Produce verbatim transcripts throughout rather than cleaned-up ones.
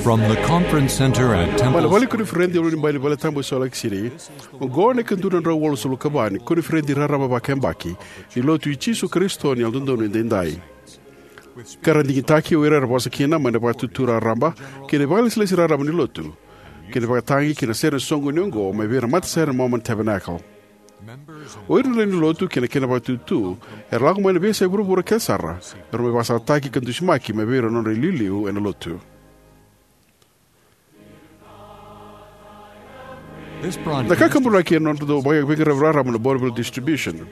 From the conference center at Mai na Temple vale Square. Koniferedi e ulunibai ni vale tabu e Salt Lake City. Oqo na ikadua na drau walusagavulu ka va ni koniferedi raraba vakayabaki ni Lotu i Jisu Karisito ni Yalododonu Edaidai. Ka ra digitaki o ira era vosa kina mai na Vakaitutu Raraba kei na ivakalesilesi raraba ni Lotu, kei na ivakatagi kei na sere ni soqoni oqo mai vei ira na matasere na Mormon Tabernacle. O ira na lewe ni Lotu kei na kena vakaitutu era lako mai na veiyasai vuravura kece sara, era mai vakasalataki ka dusimaki mai vei ira na nodra iliuliu ena Lotu. This Na broadcast kakaburaki ena nodratou veiqaravi raraba na Bonneville Distribution.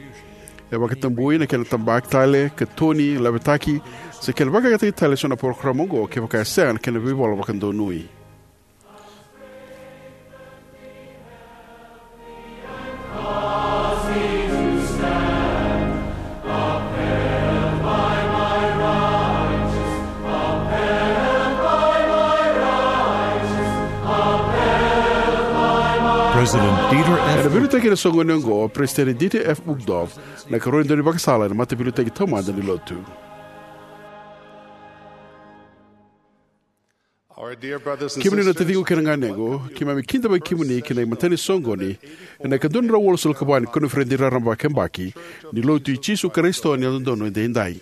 E vakatabui na kena tabaki tale, katoni, lavetaki, se kena vakayagataki tale eso na parokaramu oqo kevaka e sega na kena veivola vakadonui. President Dieter F. Ena veiliutaki ena soqoni oqo o President Dieter F. Uchtdorf, na ikarua ni daunivakasala ena Mataveiliutaki Taumada ni Lotu. Our dear brothers and Kemuni na sisters, taciqu kei na ganequ, keimami kidavaki kemuni ki na imatai ni soqoni ena ikadua na drau walusagavulu ka va ni koniferedi raraba vakayabaki ni Lotu i Jisu Karisito ni Yalododonu Edaidai.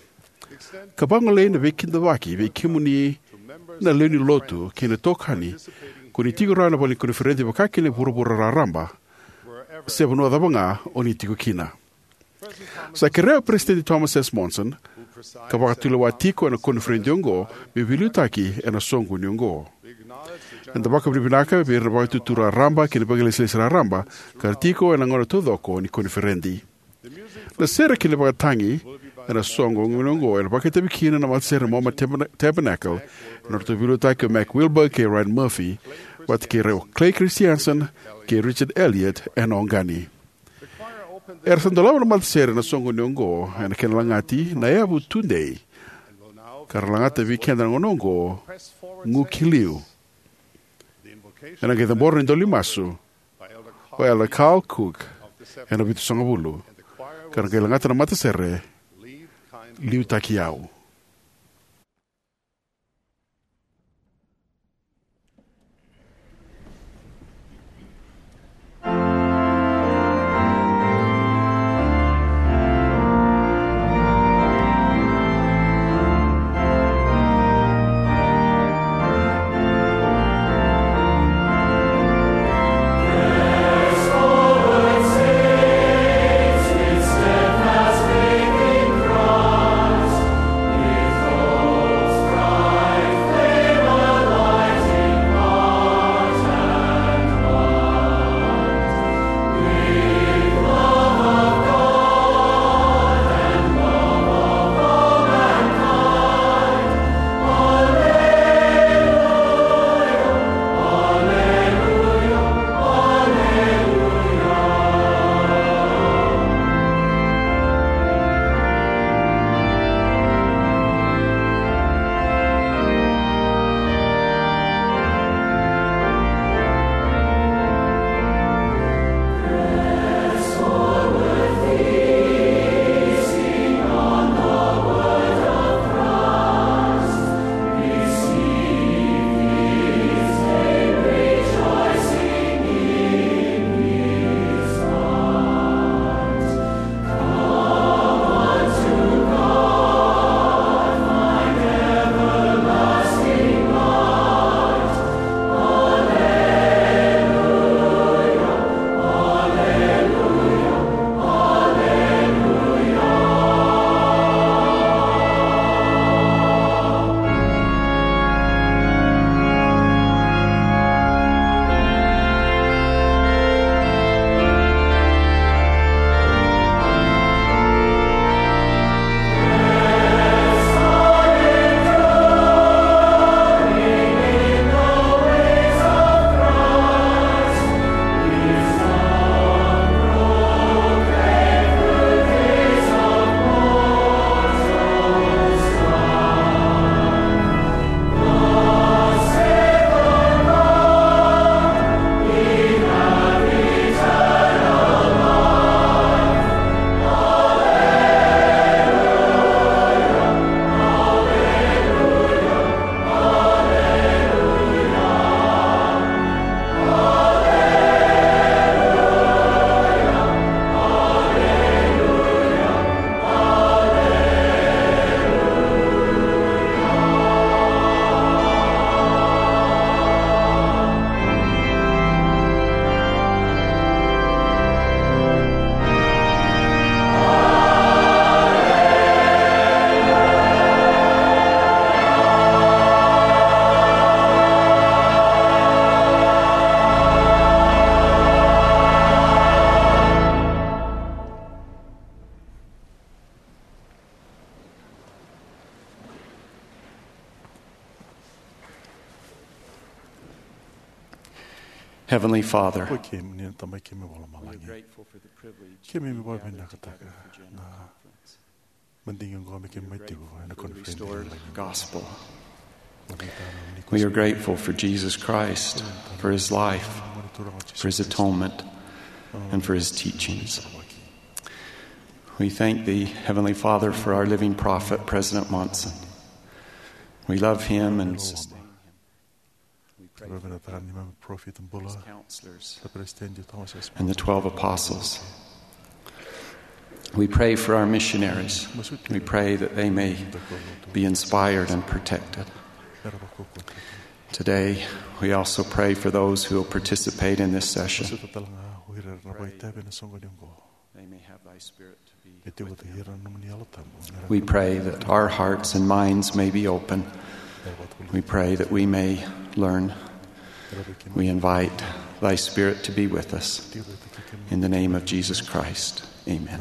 Ka vagolei na veikidavaki vei kemuni na lewe ni Lotu kei na itokani ko ni tiko rawa ena vale ni koniferedi vakakina e vuravura raraba, se vanua cava ga o ni tiko kina. Sa kerea o Peresitedi Thomas S. Monson, ka vakatulewa tiko ena koniferedi oqo, me veiliutaki ena soqoni oqo. Eda vakavinavinaka vei ira na Vakaitutu Raraba kei na ivakalesilesi raraba ka ra tiko ena gauna taucoko ni koniferedi. Na sere kei na ivakatagi ena soqoni oqo ena vakaitavi kina na matasere na Mormon Tabern- Tabernacle, ena nodratou veiliutaki o Mac Wilberg kei Ryan Murphy, vata kei ira o Clay Christensen kei Richard Elliott ena oqani. Era sa dolava na matasere ena soqoni oqo ena kena lagati Na Yavu Tudei, ka ra lagata vei keda na gauna oqo, Gu Ki Liu. Ena qai cabora na idola ni masu o Elder Carl Cook ena Vitusagavulu, ka ra qai lagata na matasere Liutaki Au. Heavenly Father, Ko kemuni na Tamai keimami vakalomalagi. Keimami vakavinavinakataka na madigi oqo me keimami tiko ena koniferedi. Gospel. We are grateful for Jesus Christ, for his life, for his atonement, and for his teachings. We thank thee, Heavenly Father, for our living prophet, President Monson. We love him and sustain him. We pray for the counselors and the twelve apostles. We pray for our missionaries. We pray that they may be inspired and protected. Today, we also pray for those who will participate in this session. They may have thy spirit to be with them. We pray that our hearts and minds may be open. We pray that we may learn. We invite thy spirit to be with us. In the name of Jesus Christ, amen.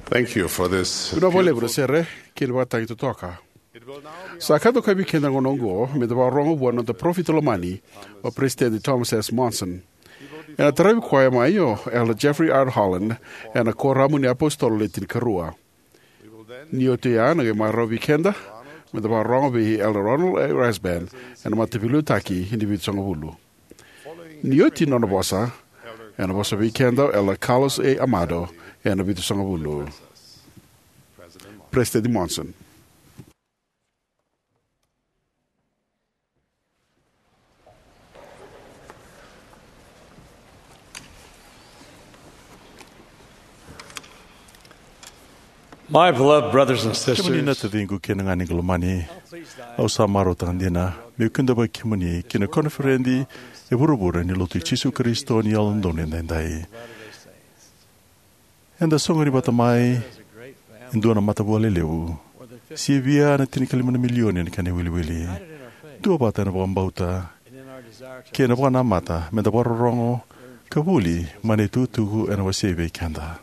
Thank you for this. Vinaka vakalevu na sere kei na vakataki totoka. Sa ka dokai vei keda gona oqo me da vakarorogo vua na noda parofita lomani, o Peresitedi Thomas S. Monson. Ena taravi koya mai o Elder Jeffrey R. Holland ena Koramu ni iApositolo Le Tinikarua. Ni oti oya, na qai marau vei keda me da vakarorogo vei Elder Ronald A. Rasband ena Mataveiliutaki ni Vitusagavulu. Ni oti na nona vosa, ena vosa vei keda o Elder Carlos A. Amado ena Vitusagavulu. Peresitedi Monson. My beloved brothers and sisters, kemuni na taciqu kei na ganequ lomani, au sa marautaka dina meu kidavaki kemuni ki na koniferedi e vuravura ni Lotu i Jisu Karisito ni Yalododonu Edaidai. Eda soqoni vata mai e dua na matavua lelevu, sivia na tinikalima na milioni na kena iwiliwili. Duavata ena vakabauta kei na vakanamata me da vakarorogo ka vuli mai na itukutuku ena wasei vei keda.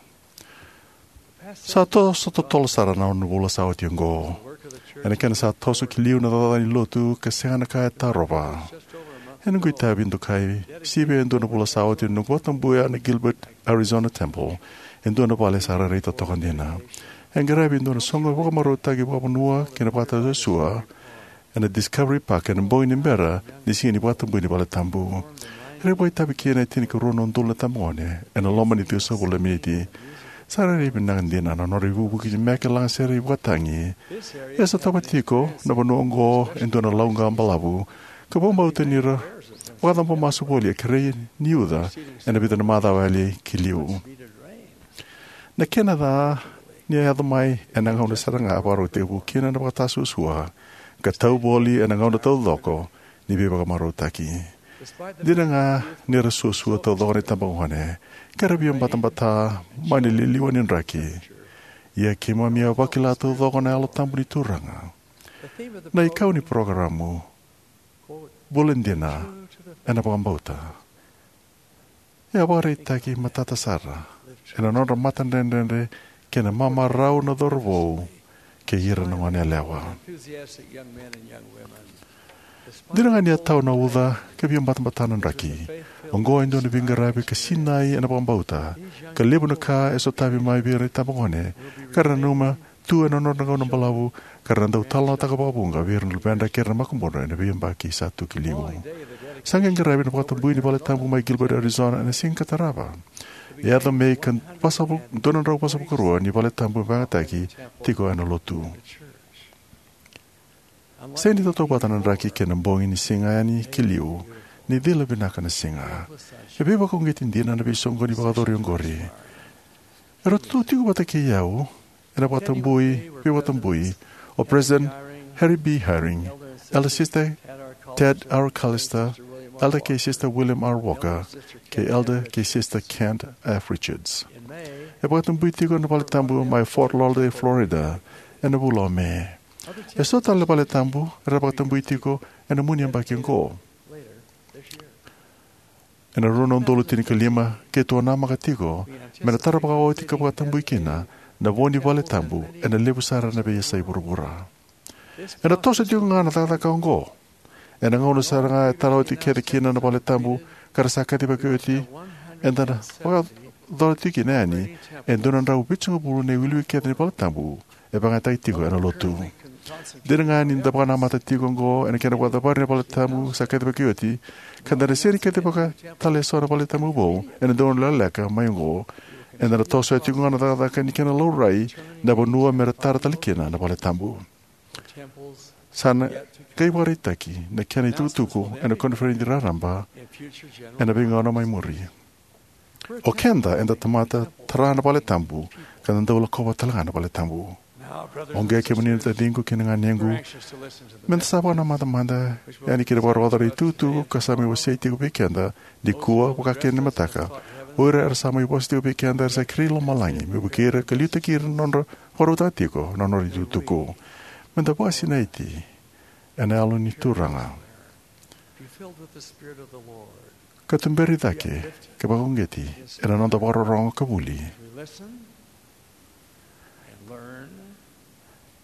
Sa toso totolo sara na ono na vula sa oti oqo. Ena kena sa toso ki liu na cakacaka ni Lotu ka sega na ka e tarova. Ena noqu itavi dokai, sivia e dua na vula sa oti, noqu vakatabuya na Gilbert Arizona Temple, e dua na vale sa rairai totoka dina. E qaravi e dua na soqo vakamarautaki vakavanua kei na vakatasuasua ena Discovery Park ena bogi ni bera ni siga ni vakatabui ni vale tabu. Era vakaitavi kina e tinikarua na udolu na itabagone ena loma ni ciwasagavulu na miniti. Sa rairai vinaka dina na nodra ivukivuki meke, lagasere, ivakatagi. E sotava tiko na vanua oqo e dua na lauqa balavu, ka vakabauta ni ra vakacabo masu voli e kerei ni uca ena vica na macawa yali ki liu. Na kena ca ni a yaco mai ena gauna sara ga a vakarau tekivu kina na vakatasuasua, ka tau voli ena gauna taucoko ni veivakamarautaki. Dina ga ni ra suasua taucoko na itabagone, ka ra via batabata mai na liliwa ni draki, ia keimami a vakila taucoko na Yalo Tabu ni Turaga. Na ikau ni parokaramu, Vula Dina ena Vakabauta, e a vakaraitaki matata sara ena nodra matadredredre kei na mamarau na cauravou kei ira na goneyalewa. Dina ga ni a tau na uca ka via batabata na draki, oqo e dua na veiqaravi ka sinai ena vakabauta, ka levu na ka e sotavi mai vei ira na itabagone ka ra nanuma tu ena nodra gauna balavu, ka ra na dau talanoataka vakavuqa vei ira na luvedra kei ira na makubudra ena veiyabaki sa tu ki liu. Sa qai qaravi na vakatabui ni vale tabu mai Gilbert, Arizona ena siga ka tarava. E yaco me ika dua na drau vasagavulu ka rua ni vale tabu vakayagataki tiko ena Lotu. Sega ni tautauvata na draki kei na bogi ni siga yani ki liu, ni cila vinaka na siga. E veivakauqeti dina na veisoqoni vakayacori oqori. Era tu tiko vata kei au ena vakatabui, veivakatabui, o President Harry B. Eyring, Elder Sister Tad R. Callister, Elder kei Sister William R. Walker, kei Elder kei Sister Kent F. Richards. E vakatabui tiko na vale tabu mai Fort Lauderdale, Florida, ena vula o Me. E so tale na vale tabu era vakatabui tiko ena mua ni yabaki oqo. Ena rua na udolu tinikalima, keitou a namaka tiko me na tara vakaoti ka vakatabui kina na vo ni vale tabu ena levu sara na veiyasai vuravura. Ena toso tiko ga na cakacaka oqo. Ena gauna sara ga e tara oti kece kina na vale tabu ka ra sa kacivaki oti, eda na vakayacora tiko kina yani e dua na drau vitusagavulu na iwiliwili kece ni vale tabu e vakayagataki tiko ena Lotu. Dina ga ni da vakanamata tiko oqo ena kena vakacavari na vale tabu sa kacivaki oti, ka da na sega ni kacivaka tale eso na vale tabu vou ena dua na gauna lekaleka mai oqo, eda na tosoya tiko ga na cakacaka ni kena laurai na vanua me ra tara tale kina na vale tabu. Sa na qai vakaraitaki na kena itukutuku ena koniferedi raraba ena veigauna mai muri. O keda eda tamata tara na vale tabu ka da dau lakova tale ga na vale tabu. Oqo, kemuni na taciqu kei na ganequ, me da sa vakanamata mada yani ki na vakarogotaka na itukutuku ka sa mai wasei tiko vei keda nikua, vaka kina ni mataka. O ira era sa mai vosa tiko vei keda era sa kerei lomalagi me vukei ira ka liutaki ira na nodra vakarautaka tiko na nodra itukutuku. Me da vakasinaiti ena Yalo ni Turaga ka tuberi cake ka vakauqeti ena noda vakarorogo ka vuli.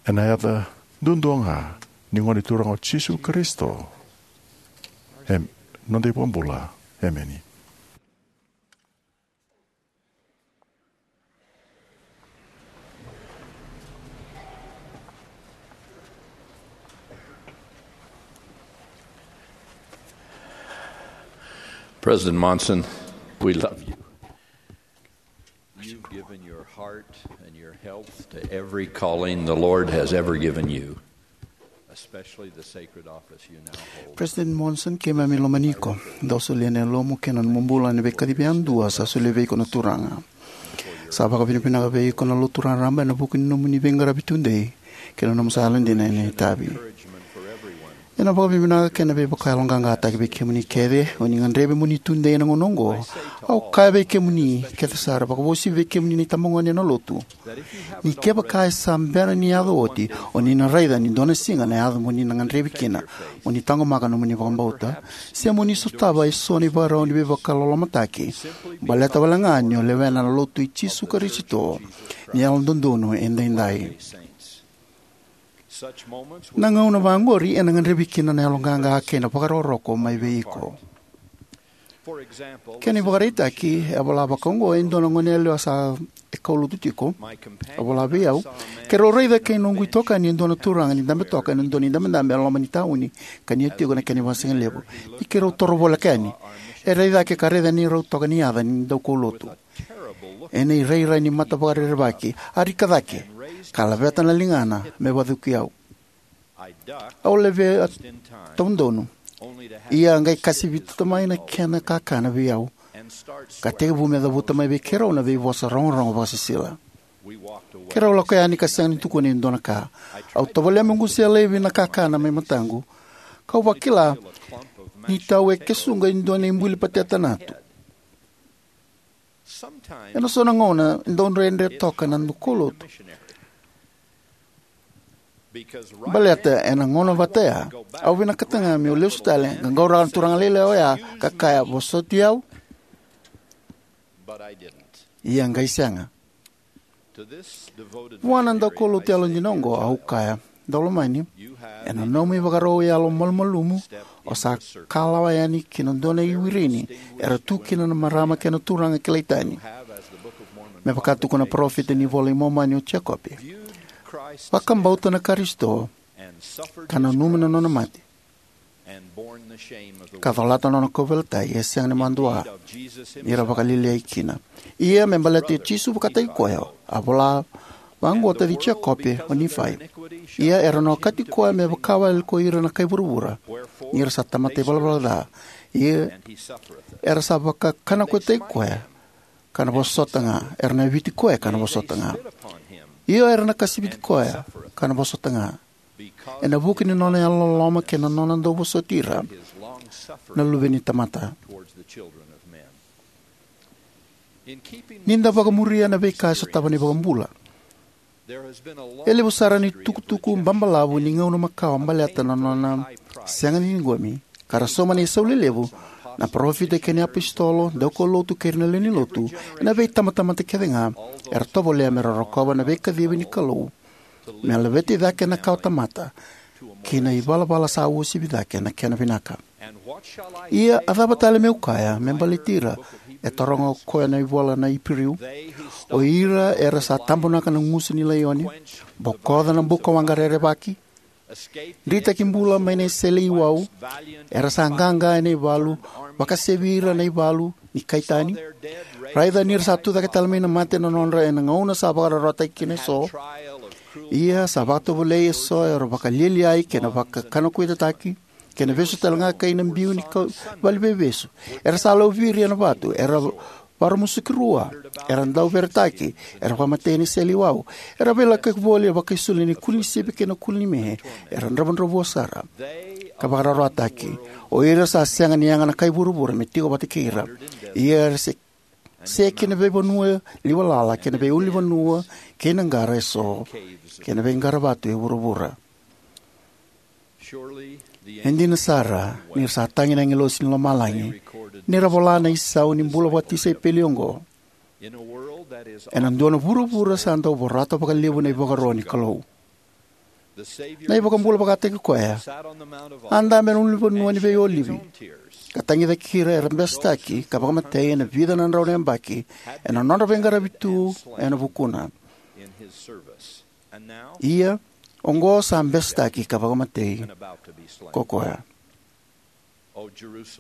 Ena yaca duadua ga ni Gone Turaga o Jisu Karisito, e noda iVakabula. Emeni. President Monson, we love you. You've given your heart and your health to every calling the Lord has ever given you, especially the sacred office you now hold. President Monson, keimami lomani iko. Dou solia na yalomu kei na nomu bula na veikacivi yadua sa solia vei iko na Turaga. Sa vakavinavinaka vei iko na Lotu raraba ena vuku ni nomuni veiqaravi tudei kei na nomu sa yalodina ena itavi. Ena vakavinavinaka kei na veivakayaloqaqataki vei kemuni kece o ni gadrevi mo ni tudei ena gauna oqo. Au kaya vei kemuni kece sara, vakavosi vei kemuni na itabagone ena Lotu, ni kevaka e sa bera ni yaco oti, o ni na raica ni dua na siga na yaco mo ni na gadrevi kina mo ni taqomaka nomuni vakabauta, se mo ni sotava eso na ivakarau ni veivakalolomataki, baleta wale ga ni o lewena na Lotu i Jisu Karisito ni Yalododonu Edaidai. Na gauna vaqori ena gadrevi kina na yaloqaqa kei na vakarokoroko mai vei iko. Kena ivakaraitaki, e vola vaka oqo e dua na goneyalewa sa e kaulotu tiko. A vola vei au, keirau raica kei noqu itokani e dua na turaga ni dabe toka ena dua na idabedabe e loma ni tauni ka ni a tiko na kena ivasigalevu. Ni keirau toro voleka yani, e rai cake ka raica neirau toka ni yaca ni daukaulotu. Ena irairai ni mata vakarerevaki, a rika cake ka laveta na ligana me vacuki au. Au levea taudonu, ia a qai kasivita mai na kena kakana vei au, ka tekivu me cavuta mai vei keirau na veivosa rogorogo vakasisila. Keirau lako yani ka sega ni tukuna e dua na ka. Au tovolea meu qusea laivi na kakana mai mataqu, kau vakila ni tau e kesuqa e dua na ibuli pateta natu. Ena so na gauna e dau dredre toka na daukaulotu. Baleta ena gauna vata ya, au vinakata ga meu lesu tale, qaqauraka na turaga lailai oya ka kaya, "Vosoti au." Ia qai sega. Vua na daukaulotu yalodina oqo au kaya, "Daulomani, ena nomu ivakarau yalomalumalumu, o sa kalawa yani ki na dua na iwirini era tu kina na marama kei na turaga kilai tani, me vaka tukuna na parofita ni iVola i Momani o Jekope. Vakabauta na Karisito, ka nanuma na nona mate, ka colata na nona kauveilatai, e sega ni madua ni ra vakalialiai kina." Ia me baleta o Jisu vakataki koya, a vola vaqo o taci Jekope o Nifai, "Ia era na okati koya me vakawale ko ira na kai vuravura, ni ra sa tamata ivalavala ca. Ia era sa vakakanakoitaki koya ka na vosota ga, era na viti koya ka na vosota ga. Io, era na kasiviti koya ka na vosota ga, ena vuku ni nona yalololoma kei na nona dau vosoti ira na luve ni tamata." Ni da vakamuria na veika e sotava na iVakabula, e levu sara na itukutuku babalavu ni gauna makawa baleta na nona sega ni ciqomi, ka ra sauma na isau lelevu na parofita kei na iapositolo, daukaulotu kei ira na lewe ni lotu, ena veitabatamata kece ga era tovolea me ra rokova na veikacivi ni Kalou me laveti cake na kawatamata ki na ivalavala sa uasivi cake na kena vinaka. "Ia a cava tale meu kaya me baleti ira?" e taroga o koya na ivola na Iperiu. "O ira era sa tabonaka na gusu ni laioni, bokoca na buka waqa rerevaki, dritaki bula mai na isele iwau, era sa qaqa ena ivalu, vakasevi ira na ivalu ni kai tani. Raica ni ra sa tucake tale mai na mate na nodra ena gauna sa vakararawataki kina eso. Ia sa vakatovolei eso era vakalialiai kei na vakakanakoitataki, kei na vesu tale ga kei na biu ni ka-, vale veivesu. Era sa lauviri ena vatu, era varamusuki rua, era dauveretaki, era vakamatei ena isele iwau, era veilakoyaki voli ena vakaisulu ni kuli ni sipi kei na kuli ni me, era dravudravua sara ka vakararawataki. O ira sa sega ni yaga na kai vuravura me tiko vata kei ira. Ia era se, se ki na veivanua liwalala, kei na veiulunivanua, kei na qara eso, kei na veiqaravatu e vuravura. E dina sara ni ra sa tagi na agilosi ni lomalagi ni ra vola na isau ni bula vakatisaipeli oqo. Ena dua na vuravura sa dau vorata vakalevu na ivakaro ni Kalou, na iVakabula vakataki koya a dabe ena ulunivanua ni veiolivi ka tagicaki ira era besetaki ka vakamatei ena vica na drau na yabaki ena nodra veiqaravi tu ena vukuna. Ia oqo sa besetaki ka vakamatei ko koya.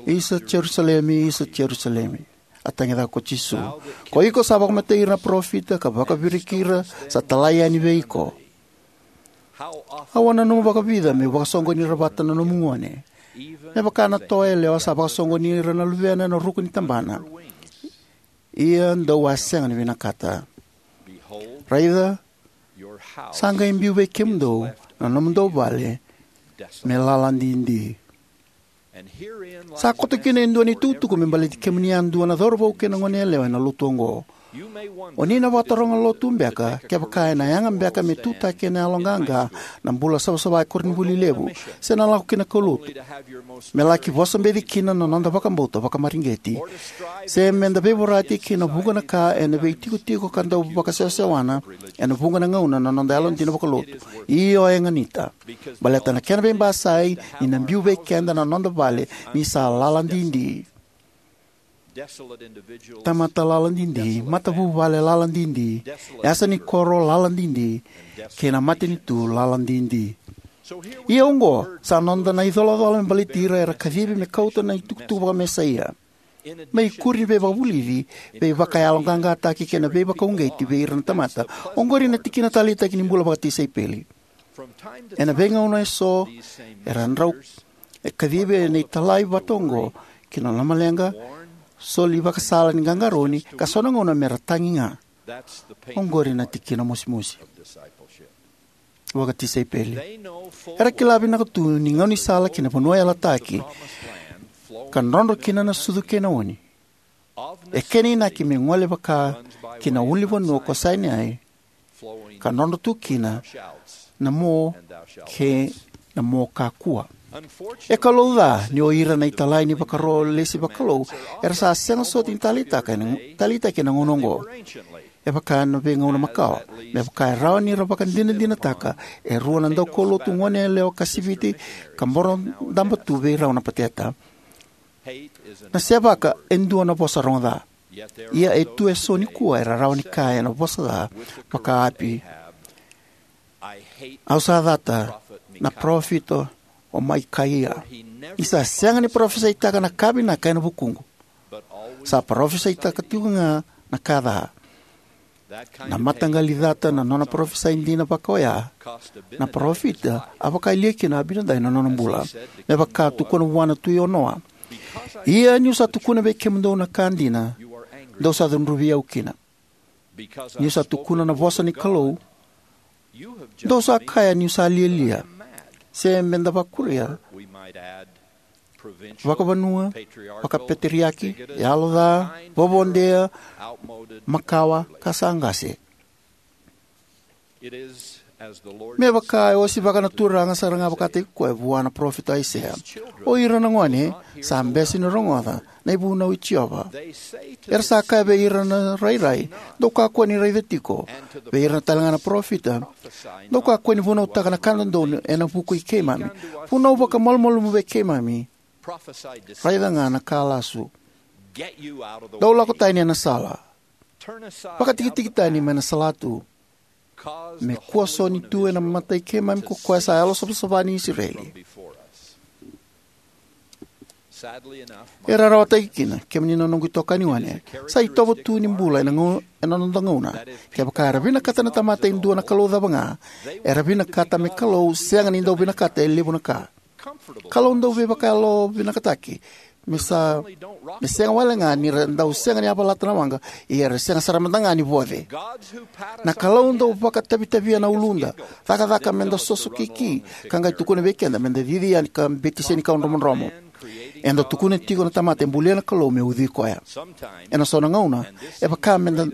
Isa Jerusalemi, isa Jerusalemi, a tagicaka ko Jisu, ko iko sa vakamatei ira na parofita ka vakaviriki ira sa talai yani vei iko. Au a nanuma vakavica meu vakasoqoni ira vata na nomu gone, me vaka na toa yalewa sa vakasoqoni ira na luvena ena ruku ni tabana, ia dou a sega ni vinakata. Raica, sa qai biu vei kemudou na nomudou vale me lala didi. Sa koto kina e dua na itukutuku me baleti kemuni yadua na cauravou kei na goneyalewa ena lotu oqo. O ni na vakataroga lotu beka kevaka ena yaga beka me tutaki ena yaloqaqa na bula savasava e koronivuli levu, se na lako ki na kaulotu. Me laki vosabeci kina na noda vakabauta vakamareqeti, se me da veivorati ki na vuqa na ka ena veitikotiko ka dau vakasewasewana ena vuqa na gauna na noda yalodina vakalotu. Io, e ganita. Baleta na kena veibasai ni na biu vei keda na noda vale ni sa lala didi. Tamata lala didi, matavuvale lala didi, yasa ni koro lala didi, kei na matanitu lala didi. Ia oqo sa noda na icolacola me baleti ira era kacivi me kauta na itukutuku vakamesaia, me ikuri ni veivakavulici, veivakayaloqaqataki kei na veivakauqeti vei ira na tamata. Oqori na tikina taleitaki ni bula vakatisaipeli. Ena veigauna eso era drau e kacivi ena italai vata oqo ki na lomaleqa, soli vakasala ni qaqarauni, ka so na gauna mera tagi ga. Oqori na tikina mosimosi vakatisaipeli. Era kila vinaka tu ni gaunisala ki na vanua yalataki ka drodro kina na sucu kei na oni, e kena inaki me gole vaka ki na ulunivanua ko Saineai, ka drodro tu kina na mo kei na mo kakua. E kalouca ni o ira na italai ni vakaro lesi vakalou era sa sega soti ni taleitaka ena, taleitaki ena gauna oqo. E vaka ena veigauna makawa, me vaka e rawa ni ra vakadinadinataka e rua na daukaulotu goneyalewa kasiviti ka boro daba tu vei rau na pateta. Na sevaka e dua na vosa rogo ca. Ia e tu eso nikua era rawa ni kaya ena vosa ca vaka Api: Au sa cata na parofita o Mikaia, ni sa sega ni parofisaitaka na ka vinaka ena vukuqu, sa parofisaitaka tiko ga na ka ca. Na mataqali cata na nona parofisai dina vaka oya na parofita a vakayalia kina o Abinadai na nona bula, me vaka tukuna vua na tui o Noa: Ia niu sa tukuna vei kemudou na ka dina, dou sa cudruvi au kina. Niu sa tukuna na vosa ni Kalou, dou sa kaya niu sa lialia, se me da vakuria vakavanua, vakapeteriaki, yalo ca, vovodea, makawa, ka sa qase. Me vaka e osivaka na Turaga sara ga vakataki koya vua na parofita o Aisea: O ira na gone sa bese ni rogoca na ivunau i Jiova. Era sa kaya vei ira na rairai: Dou kakua ni raica tiko. Vei ira talega na parofita: Dou kakua ni vunautaka na ka dodonu ena vuku i keimami. Vunau vakamalumalumu vei keimami. Raica ga na ka lasu. Dou lako tani ena sala. Vakatikitiki tani mai na salatu. Me kua soni tu ena mata i keimami ko koya sa Yalosavasava ni Isireli. E rarawataki kina, kemuni na noqu itokani gone, sa itovo tu ni bula ena gau-, ena noda gauna. Kevaka era vinakata na tamata e dua na kalou cava ga, era vinakata me Kalou sega ni dau vinakata e levu na ka. Kalou dau veivakayalovinakataki, me sa, me sega wale ga ni ra dau sega ni yavalata na waqa, ia era sega sara mada ga ni voce. Na Kalou dau vakatavitavia na uluda, cakacaka me da sosokiki, ka qai tukuna vei keda me da cici yani ka beti senikau dromodromo. Eda tukuna tiko na tamata e bulia na Kalou me ucui koya. Ena so na gauna, e vaka me da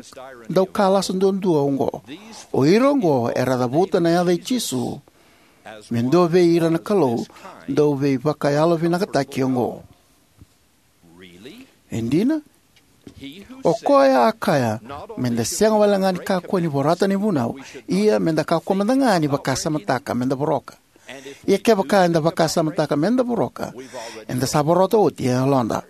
dau ka lasu duadua oqo. O ira oqo era cavuta na yaca i Jisu me dua vei ira na kalou dau veivakayalovinakataki oqo. E dina? O koya a kaya, meda sega wale ga ni kakua ni vorata na ivunau, ia meda kakua mada ga ni vakasamataka meda voroka. Ia kevaka eda vakasamataka meda voroka, eda sa vorata oti e yaloda.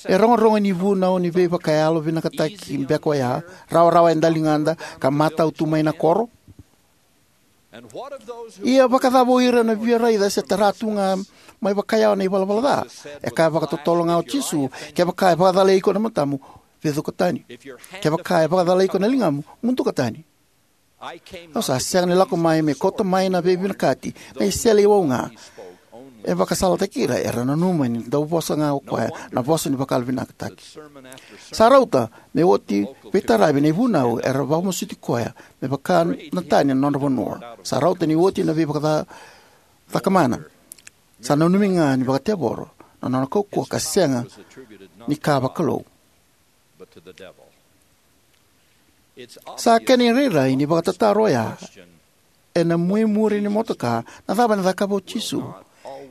E rogorogo ni vunau ni veivakayalo vinakataki beka oya, rawarawa e daligada ka matau tu mai na koro? Ia vakacava o ira na via raica se tara tu ga mai vakayawa na ivalavala ca? E kaya vakatotolo ga o Jisu, kevaka e vakacalai iko na matamu, vecuka tani. Kevaka e vakacalai iko na ligamu, muduka tani. Au sa sega ni lako mai me kauta mai na veivinakati, na isele iwau ga. E vakasalataki ira, era nanuma ni dau vosa ga o koya na vosa ni vakayalo vinakataki. Sa rauta me oti veitaravi na ivunau era vakamasuti koya me vaka na tani na nodra vanua. Sa rauta ni oti na veivakacakamana. Sa nanumi ga ni vakatevoro na nona kaukauwa ka sega ni ka vakalou. Sa kena irairai ni vakatataro oya ena muimuri ni motoka, na cava ena cakava o Jisu?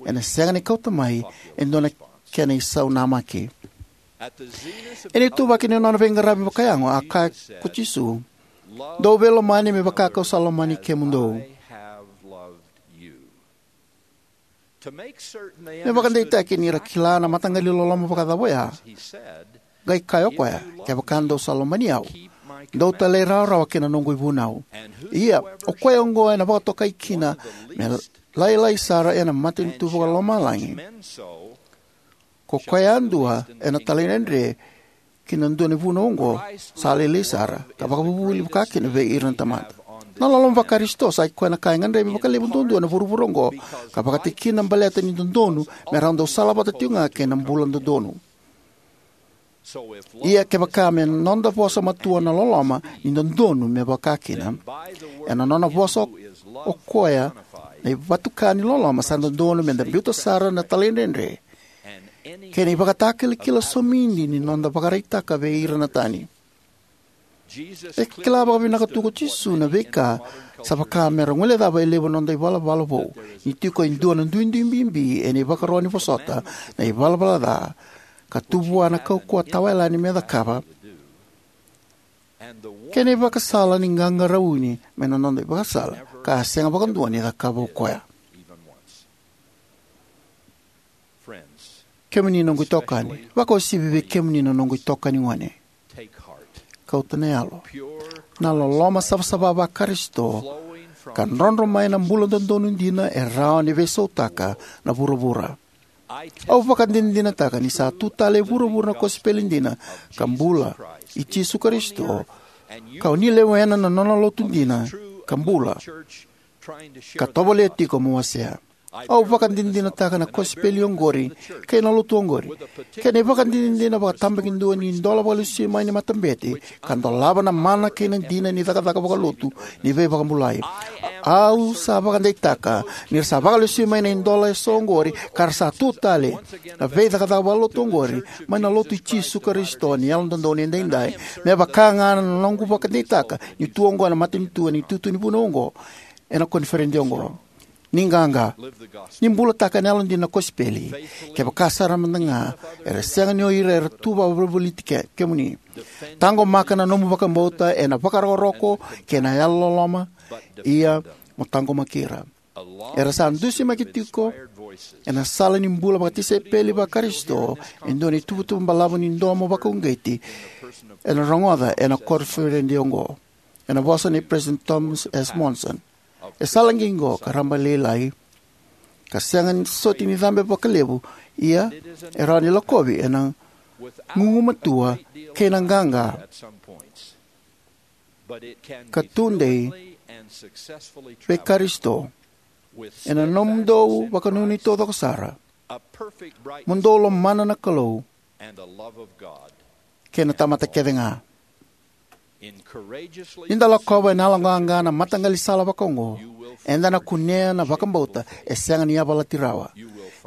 Ena sega ni kauta mai e dua na kena isau namaki. Ena ituvaki ni nona veiqaravi vakayago, a kaya ko Jisu, "Dou veilomani me vaka kau sa lomani kemudou." Me vakadeitaki ni ra kila na mataqali loloma vakacava oya, qai kaya o koya, "Kevaka dou sa lomani au, dou talairawarawa ki na noqu ivunau. Ia, o koya oqo ena vakatokai kina me lailai sara ena matanitu vakalomalagi, ko koya yadua ena talaidredre ki na dua na ivunau oqo sa lailai sara, ka vakavuvuli vakakina vei ira na tamata." Na loloma vaKarisito sa i koya na ka e gadrevi vakalevu duadua ena vuravura oqo, ka vakatikina baleta ni dodonu me rau dau salavata tiko ga kei na bula dodonu. Ia kevaka me noda vosa matua na loloma ni dodonu me vakakina, ena nona vosa o koya na ivatuka ni loloma, sa dodonu meda biuta sara na talaidredre kei na ivakatakilakila somidi ni noda vakaraitaka vei ira na tani. E kila vakavinaka tu ko Jisu na veika sa vaka me ra guilecava e levu na noda ivalavala vou, ni tiko e dua na duidui bibi ena ivakaro ni vosota na ivalavala ca, ka tu vua na kaukauwa tawayalani me cakava, kei na ivakasala ni qaqarauni mai na noda ivakasala ka a sega vakadua ni cakava o koya. Kemuni noqu itokani, vakauasivi vei kemuni na noqu itokani gone. Kauta na yalo. Na loloma savasava vaKarisito ka drodro mai na bula dodonu dina e rawa ni veisautaka na vuravura. Au vakadinadinataka ni sa tu tale e vuravura na kosipeli dina ka bula i Jisu Karisito, ka o ni lewena na nona lotu dina ka bula, ka tovolea tiko mo wasea. Au vakadinadinataka na kosipeli oqori kei na lotu oqori, kei na ivakadinadina vakatabakidua ni dola vakalesui mai ni matabete, ka dolava na mana kei na dina ni cakacaka vakalotu ni veivakabulai. Au sa vakadeitaka ni ra sa vakalesui mai na idola eso oqori, ka ra sa tu tale na veicakacaka vakalotu oqori mai na lotu i Jisu Karisito ni Yalododonu Edaidai, me vaka ga na noqu vakadeitaka ni tu oqo ena matanitu ena itutu ni vunau oqo, ena koniferedi oqo. Ni qaqa. Ni bulataka ena yalodina na kosipeli, kevaka sara mada ga era sega ni o ira era tu vakavolivoliti ke-, kemuni. Taqomaka na nomu vakabauta ena vakarokoroko kei na yalololoma, ia mo taqomaki ira. Era sa dusimaki tiko ena sala ni bula vakatisaipeli vaKarisito e dua na ituvatuva balavu ni domo vakauqeti ena rogoca ena koniferedi oqo, ena vosa nei President Thomas S. Monson. E sa lagi oqo ka rabailailai, ka sega soti ni cabe vakalevu, ia e rawa ni lakovi ena gugumatua kei na qaqa, ka tudei vei Karisito ena nomudou vakanuinui taucoko sara, mo dou lomana na Kalou kei na tamata kece ga. Ni da lakova ena yaloqaqa na mataqali sala vakaoqo, eda na kunea na vakabauta e sega ni yavalati rawa.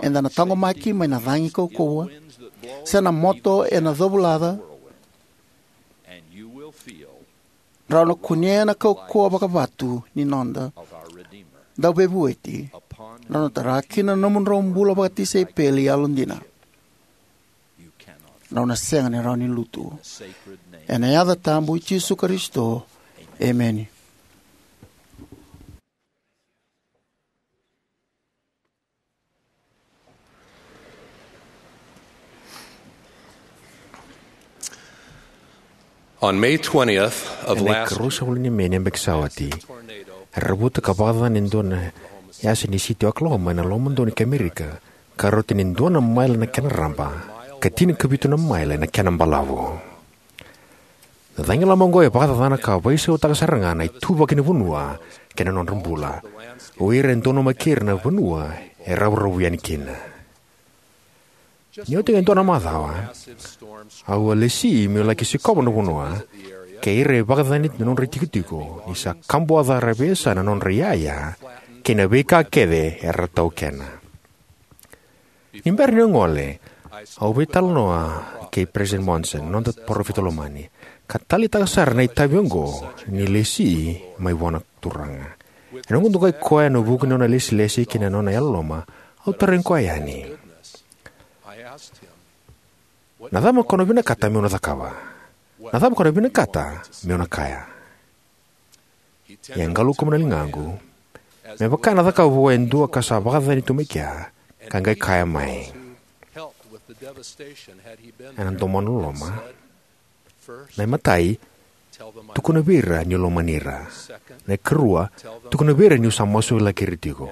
Eda na taqomaki mai na cagi kaukauwa, se na moto ena covulaca. Rau na kunea na kaukauwa vakavatu ni noda Dauveivueti, rau na tara kina na nomudrau bula vakatisaipeli yalodina. rau na sega ni rawa ni lutu. Ena yaca tabu i Jisu Karisito, emeni. On May twentieth of Ena last ikarua ni Me ni yabaki sa oti, tornado era vuta ka vakacacana e dua na yasa ni siti o Oklahoma ena lomadonu ki Amerika, ka rauta ni dua na maile na kena raba ka tinikavitu na maile na kena balavu. Na cagilaba oqo e vakacacana ka veisautaka sara ga na ituvaki ni vanua kei na nodra bula o ira e donumaki ira na vanua e ravuravu yani kina. Ni oti ga e dua na macawa, au a lesi meu laki sikova na vanua kei ira e vakacacani na nodra itikotiko, ni sa kabuwaca sara vei yasa na nodra iyaya kei na veika kece era taukena. Ni bera niu gole, au veitalanoa kei President Monson, na noda parofita lomani, ka taleitaka sara na itavi oqo ni lesi mai vua na Turaga. Ena noqu dokai koya ena vuku ni nona ilesilesi kei na nona yalololoma, au tarogi koya yani, "Na cava ko na vinakata meu na cakava? Na cava ko na vinakata meu na kaya?" Ia e qalukamu na ligaqu, me vaka ena cakava vua e dua ka sa vakacacani tu mai kea, ka qai kaya mai, ena domo loloma, "Na imatai, tukuna vei ira niu lomani ira. Na ikarua, tukuna vei ira niu sa masulaki ira tiko.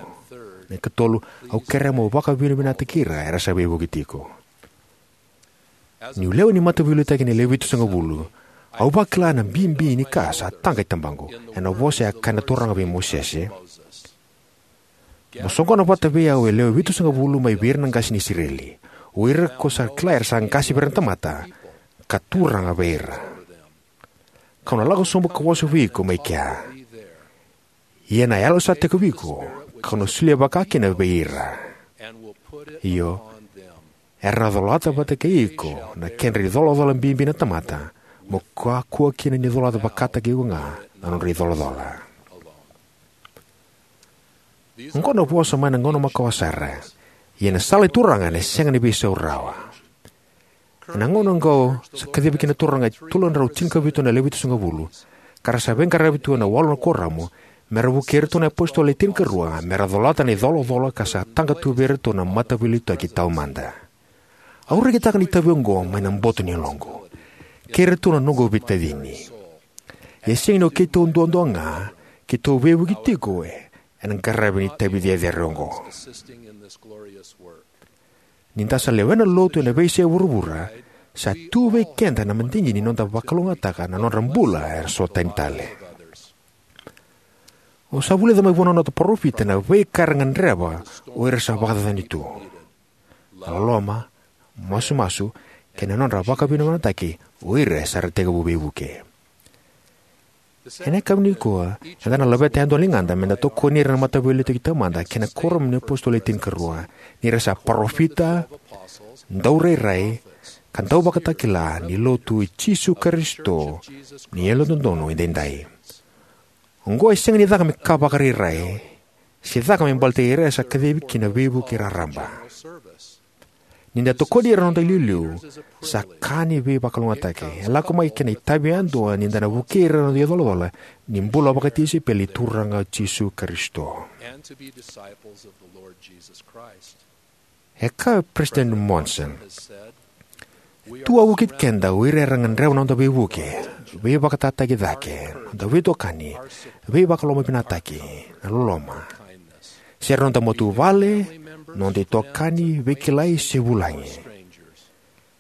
Na ikatolu, au kerea mo vakavinavinakataki ira era sa veivuke tiko." Niu lewe ni mataveiliutaki ena lewe vitusagavulu, au vakila na bibi ni ka sa taqa i tabaqu ena vosa e a kaya na Turaga vei Mosese, "Mo soqona vata vei au e lewe vitusagavulu mai vei ira na qase ni Isireli, o ira ko sa kila era sa qase vei ira na tamata, ka turaga vei ira. Kau na lako sobu ka vosa vei iko mai kea. Ia na yalo sa tekivu vei iko, kau na solia vakakina vei ira. Io, era na colata vata kei iko na kedra icolacola bibi na tamata, mo kakua kina ni colata vakataki iko ga na nodra icolacola." Oqo na vosa mai na gauna makawa sara. Ia na sala ni Turaga ena sega ni veisau rawa. Ena gauna oqo sa kacivi kina na Turaga e tolu na drau tinikavitu na lewe vitusagavulu, ka ra sa veiqaravi tu ena walu na kuoramu, me ra vukei iratou na iapositolo e tinikarua me ra colata na icolacola ka sa taqa tu vei iratou na mataveiliutaki taumada. Au rekitaka na itavi oqo mai na boto ni yaloqu kei iratou na noqu veitacini. Ia e sega ni o keitou duadua ga keitou veivuke tiko ena qaravi ni itavi cecere oqo. Ni da sa lewena na lotu ena veiyasai vuravura, sa tu vei keda na madigi ni noda vakalougatataka na nodra bula era so tani tale. Au sa vulica mai vua na noda parofita na veika era gadreva o ira sa vakacacani tu: na loloma, masumasu, kei na nodra vakavinavinakataki o ira sa ra tekivu veivuke. Ena yakavi nikua, eda na laveta yadua na ligada me da tokoni ira na mataveiliutaki taumada kei na kuoramu ni iapositolo e tinikarua, ni ra sa parofita, daurairai, ka dauvakatakila ni Lotu i Jisu Karisito ni Yalododonu Edaidai. Oqo e sega ni caka me ka vakarairai, se caka me baleti ira era sa kacivi ki na veivuke raraba. Ni da tokoni ira na noda iliuliu, sa ka ni veivakalougatataki. E lako mai kei na itavi yadua ni da na vukei ira na noda icolacola ni bula vakatisaipeli ni Turaga o Jisu Karisito. E kaya o President Monson, "E tu wavokiti keda o ira era gadreva na noda veivuke, veivakatataki cake, noda veitokani, veivakalomavinakataki, na loloma, se ra noda matavuvale, noda itokani, veikilai se vulagi.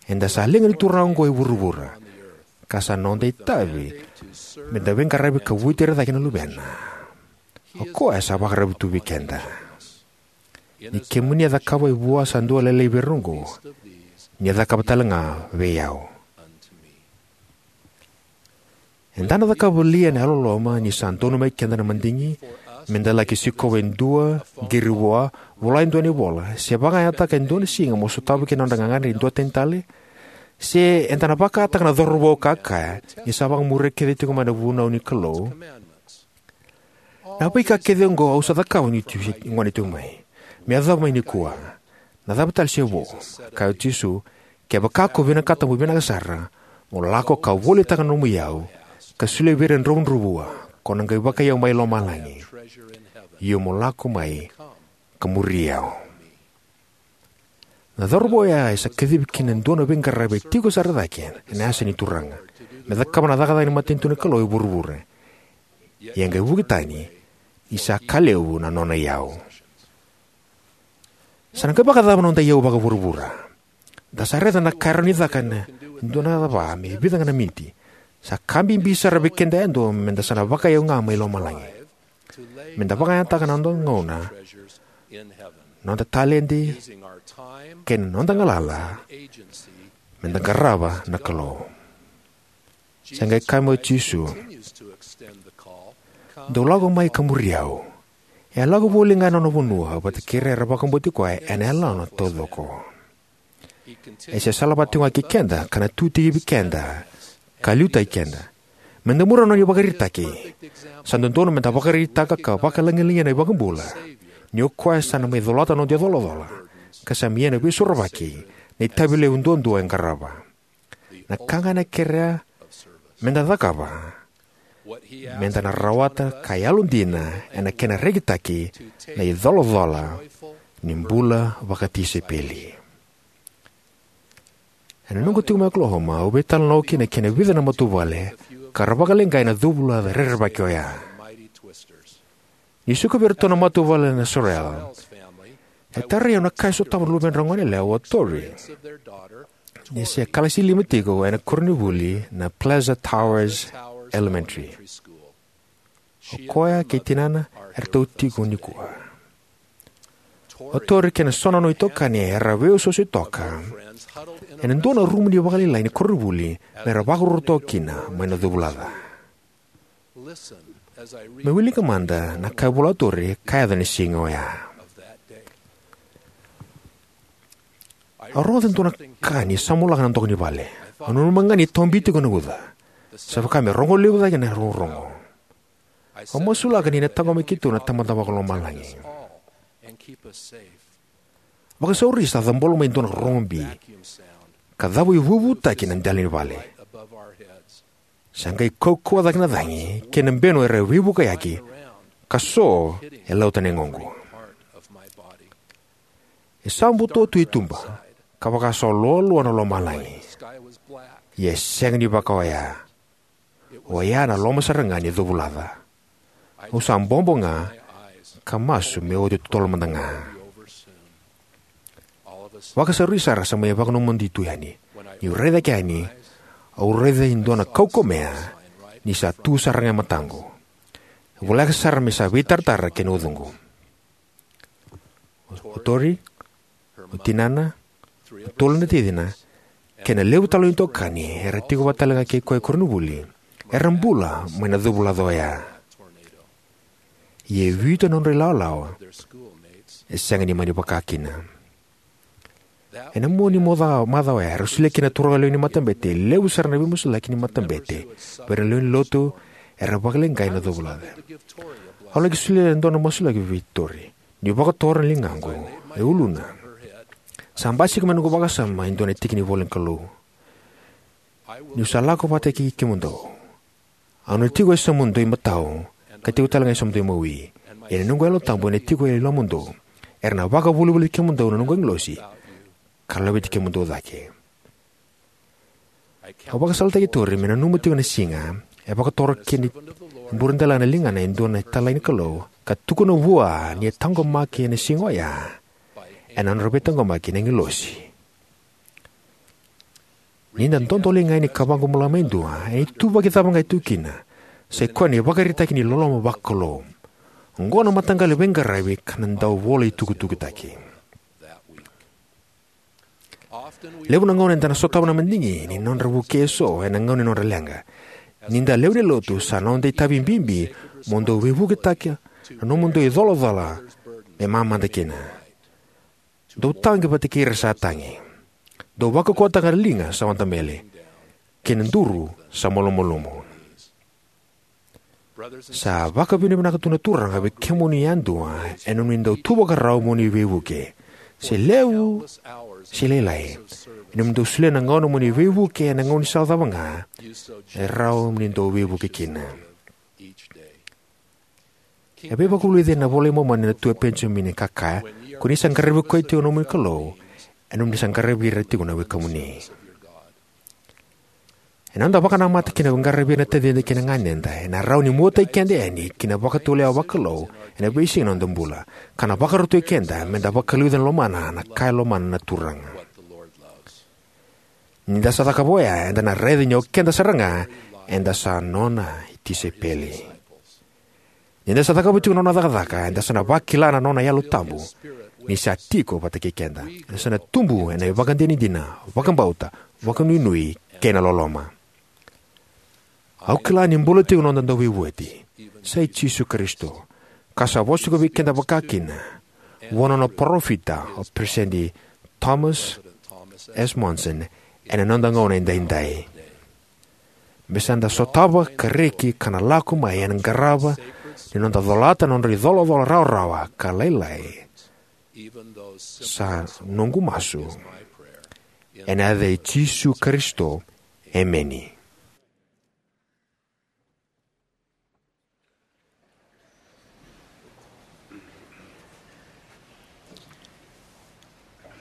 Eda sa liga ni Turaga oqo e vuravura, ka sa noda itavi me da veiqaravi ka vueti ira cake na Luvena. O koya sa vakararavi tu vei keda. Ni kemuni a cakava e vua sa dua lailai vei ira oqo, ni a cakava tale ga vei au." Eda na cakava li ena yalololoma ni sa donumaki keda na madigi me da laki sikova e dua, qiri vua, vola e dua na ivola, se vakayagataka e dua na siga mo sotava kina na nodra gagadre e dua tani tale? Se eda na vakataka na cauravou ka kaya ni sa vakamuria kece tiko mai na vunau ni Kalou, "Na veika kece oqo au sa cakava niu gone tiko mai. Me yacova mai nikua. Na cava tale se vo?" Kaya o Jisu, Kevaka ko vinakata mo vinaka sara, mo lako ka volitaka na nomu iyau, ka solia vei ira na dravudravua, ko na qai vakaiyau mai lomalagi. Io, mo lako mai ka muri au. Na cauravou oya e sa kacivi kina e dua na veiqaravi e tiko sara cake ena yasa ni Turaga, me cakava na cakacaka ni matanitu ni Kalou e vuravura. Ia e qai vuki tani, ni sa ka levu na nona iyau. Sa na qai vakacava na noda iyau vakavuravura? Da sa raica na ka e rawa ni caka ena dua na cava me vica ga na miniti. Sa ka bibi sara vei keda yadua meda sa na vakaiyau ga mai lomalagi. Meda vakayagataka na noda gauna, noda taledi, kei na noda galala, meda qarava na Kalou. Sa qai kaya mai o Jisu, "Dou lako mai ka muri au." E a lako voli ga ena nona vanua vata kei ira era vakabauti koya ena yalona taucoko. E se salavata tiko ga kei keda ka na tutikivi keda ka liutaki keda. Meda muria na nona ivakaraitaki. Sa dodonu meda vakaraitaka ka vakalagilagia na iVakabula, ni o koya sa na mai colata na noda icolacola, ka sa mai ia na veisorovaki, na itavi levu duadua e qarava. Na ka ga ena kerea meda cakava, meda na rawata ka yalodina ena kena rekitaki na icolacola ni bula vakatisaipeli. Ena noqu tiko mai Oklahoma, au veitalanoa kina kei na vica na matavuvale ka ra vakaleqai ena covulaca rerevaki oya. Niu sikovi iratou na matavuvale na Sorrel, e tarai au na ka e sotava na luvedrau goneyalewa o Tori, ni se kalasi lima tiko ena koronivuli na Plaza Towers Elementary. O koya kei tinana eratou tiko nikua. O Tori kei na so na nona itokani era veiosooso toka ena dua na rumu ni vakalailai ni koronivuli, me ra vakaruru toka kina mai na covulaca. Meu wilika mada na ka e vola o Tori ka yaco ena siga oya. Au rogoca e dua na ka ni samulaka na doka ni vale. Au nanuma ga ni tobi tiko na uca. Sa vaka me rogo levu cake na rogorogo. Au masulaka ni na taqomaki keitou na Tamada Vakalomalagi. Vakasauri sa cabolo mai e dua na rorogo bi, ka cavo ivuvutaki na dela ni vale. Sa qai kaukauwa cake na cagi kei na benu era veivukayaki, ka so e lauta na yagoqu. E sa buto tu e tuba, ka vaka sa loaloa na lomalagi. Ia e sega ni vaka oya. Oya na loma sara ga ni covulaca. Au sa bobo ga, ka masu me oti totolo mada ga. Vakasauri sara sa mai vakanomodi tu yani. Niu raica ke yani, au raica e dua na kaukaumea ni sa tu sara ga e mataqu. E voleka sara me sa veitaratara kei na ucuqu. O Tori, o tinana, o tolu na ticina, kei na levu tale ni itokani era tiko vata tale ga kei koya e koronivuli, era bula mai na covulaca oya. Ia e vitu na nodra ilawalawa e sega ni mani vaka kina. Ena mua ni maca, macawa oya, era solia kina na turaga lewe ni matabete e levu sara na veimasulaki ni matabete vei ira na lewe ni lotu era vakaleqai ena covulaca. Au laki solia e dua na masulaki vei Tori. Niu vakatora na ligaqu e uluna, sa basika mai noqu vakasama e dua na tiki ni ivola ni Kalou: "Niu sa lako vata kei kemudou. Au na tiko e yasamudou imatau, ka tiko tale ga e yasamudou imawi. Ia na noqu Yalo Tabu ena tiko e lomamudou. Era na vakavolivoliti kemudou na noqu agilosi, ka laveti kemudou cake." Au vakasalataki Tori me nanuma tiko na siga e vakatora kina e buradela na ligana e dua na italai ni Kalou, ka tukuna vua ni a taqomaki ena siga oya ena nodra veitaqomaki na agilosi. Ni da dodoliga yani ka vaqo bula mai dua, ena ituvaki cava ga e tu kina, sai koya na ivakaraitaki ni loloma vakalou. Oqo na mataqali veiqaravi ka na dau vola itukutukutaki. Levu na gauna eda na sotava na madigi ni nodra vukei eso ena gauna ni nodra leqa. Ni da lewe ni lotu, sa noda itavi bibi mo dou veivuketaka na nomudou icolacola me mamada kina. Dou tagi vata kei ira sa tagi. Dou vakaukauwataka na liga sa wadabele, kei na duru sa malumalumu. Sa vakavinavinaka tu na Turaga vei kemuni yadua ena nomuni dau tu vakarau mo ni veivuke. Se levu Se lailai, ena nomuni dau solia na gauna mo ni veivuke ena gaunisala cava ga e rawa mo ni dau veivuke kina. E veivakavulici ena iVola i Momani na Tui o Penijamini ka kaya, ko ni sa qaravi koya tiko na nomuni Kalou, ena nomuni sa qaravi ira tiko na wekamuni. Ena noda vakanamata kina veiqaravi ena tacida kei na ganeda, ena rawa ni muataki keda yani ki na vakatulewa vakalou ena veisiga ni noda bula, ka na vakarautaki keda meda vakaliuca na lomana na ka e lomana na Turaga. Ni da sa cakava oya, eda na raica ni o keda sara ga eda sa nona tisaipeli. Ni da sa cakava tiko na nona cakacaka, eda sa na vakila na nona Yalo Tabu ni sa tiko vata kei keda. Eda sa na tubu ena ivakadinadina, vakabauta, vakanuinui kei na loloma. Au kila ni bula tiko na noda Dauveivueti, sa i Jisu Karisito, ka sa vosa tiko vei keda vakakina vua na nona parofita o Peresitedi Thomas S. Monson ena noda gauna edaidai. Me sa da sotava ka reki ka na lako mai ena qarava ni noda colata na nodra icolacola rawarawa ka lailai, sa noqu masu ena yaca i Jisu Karisito. Emeni.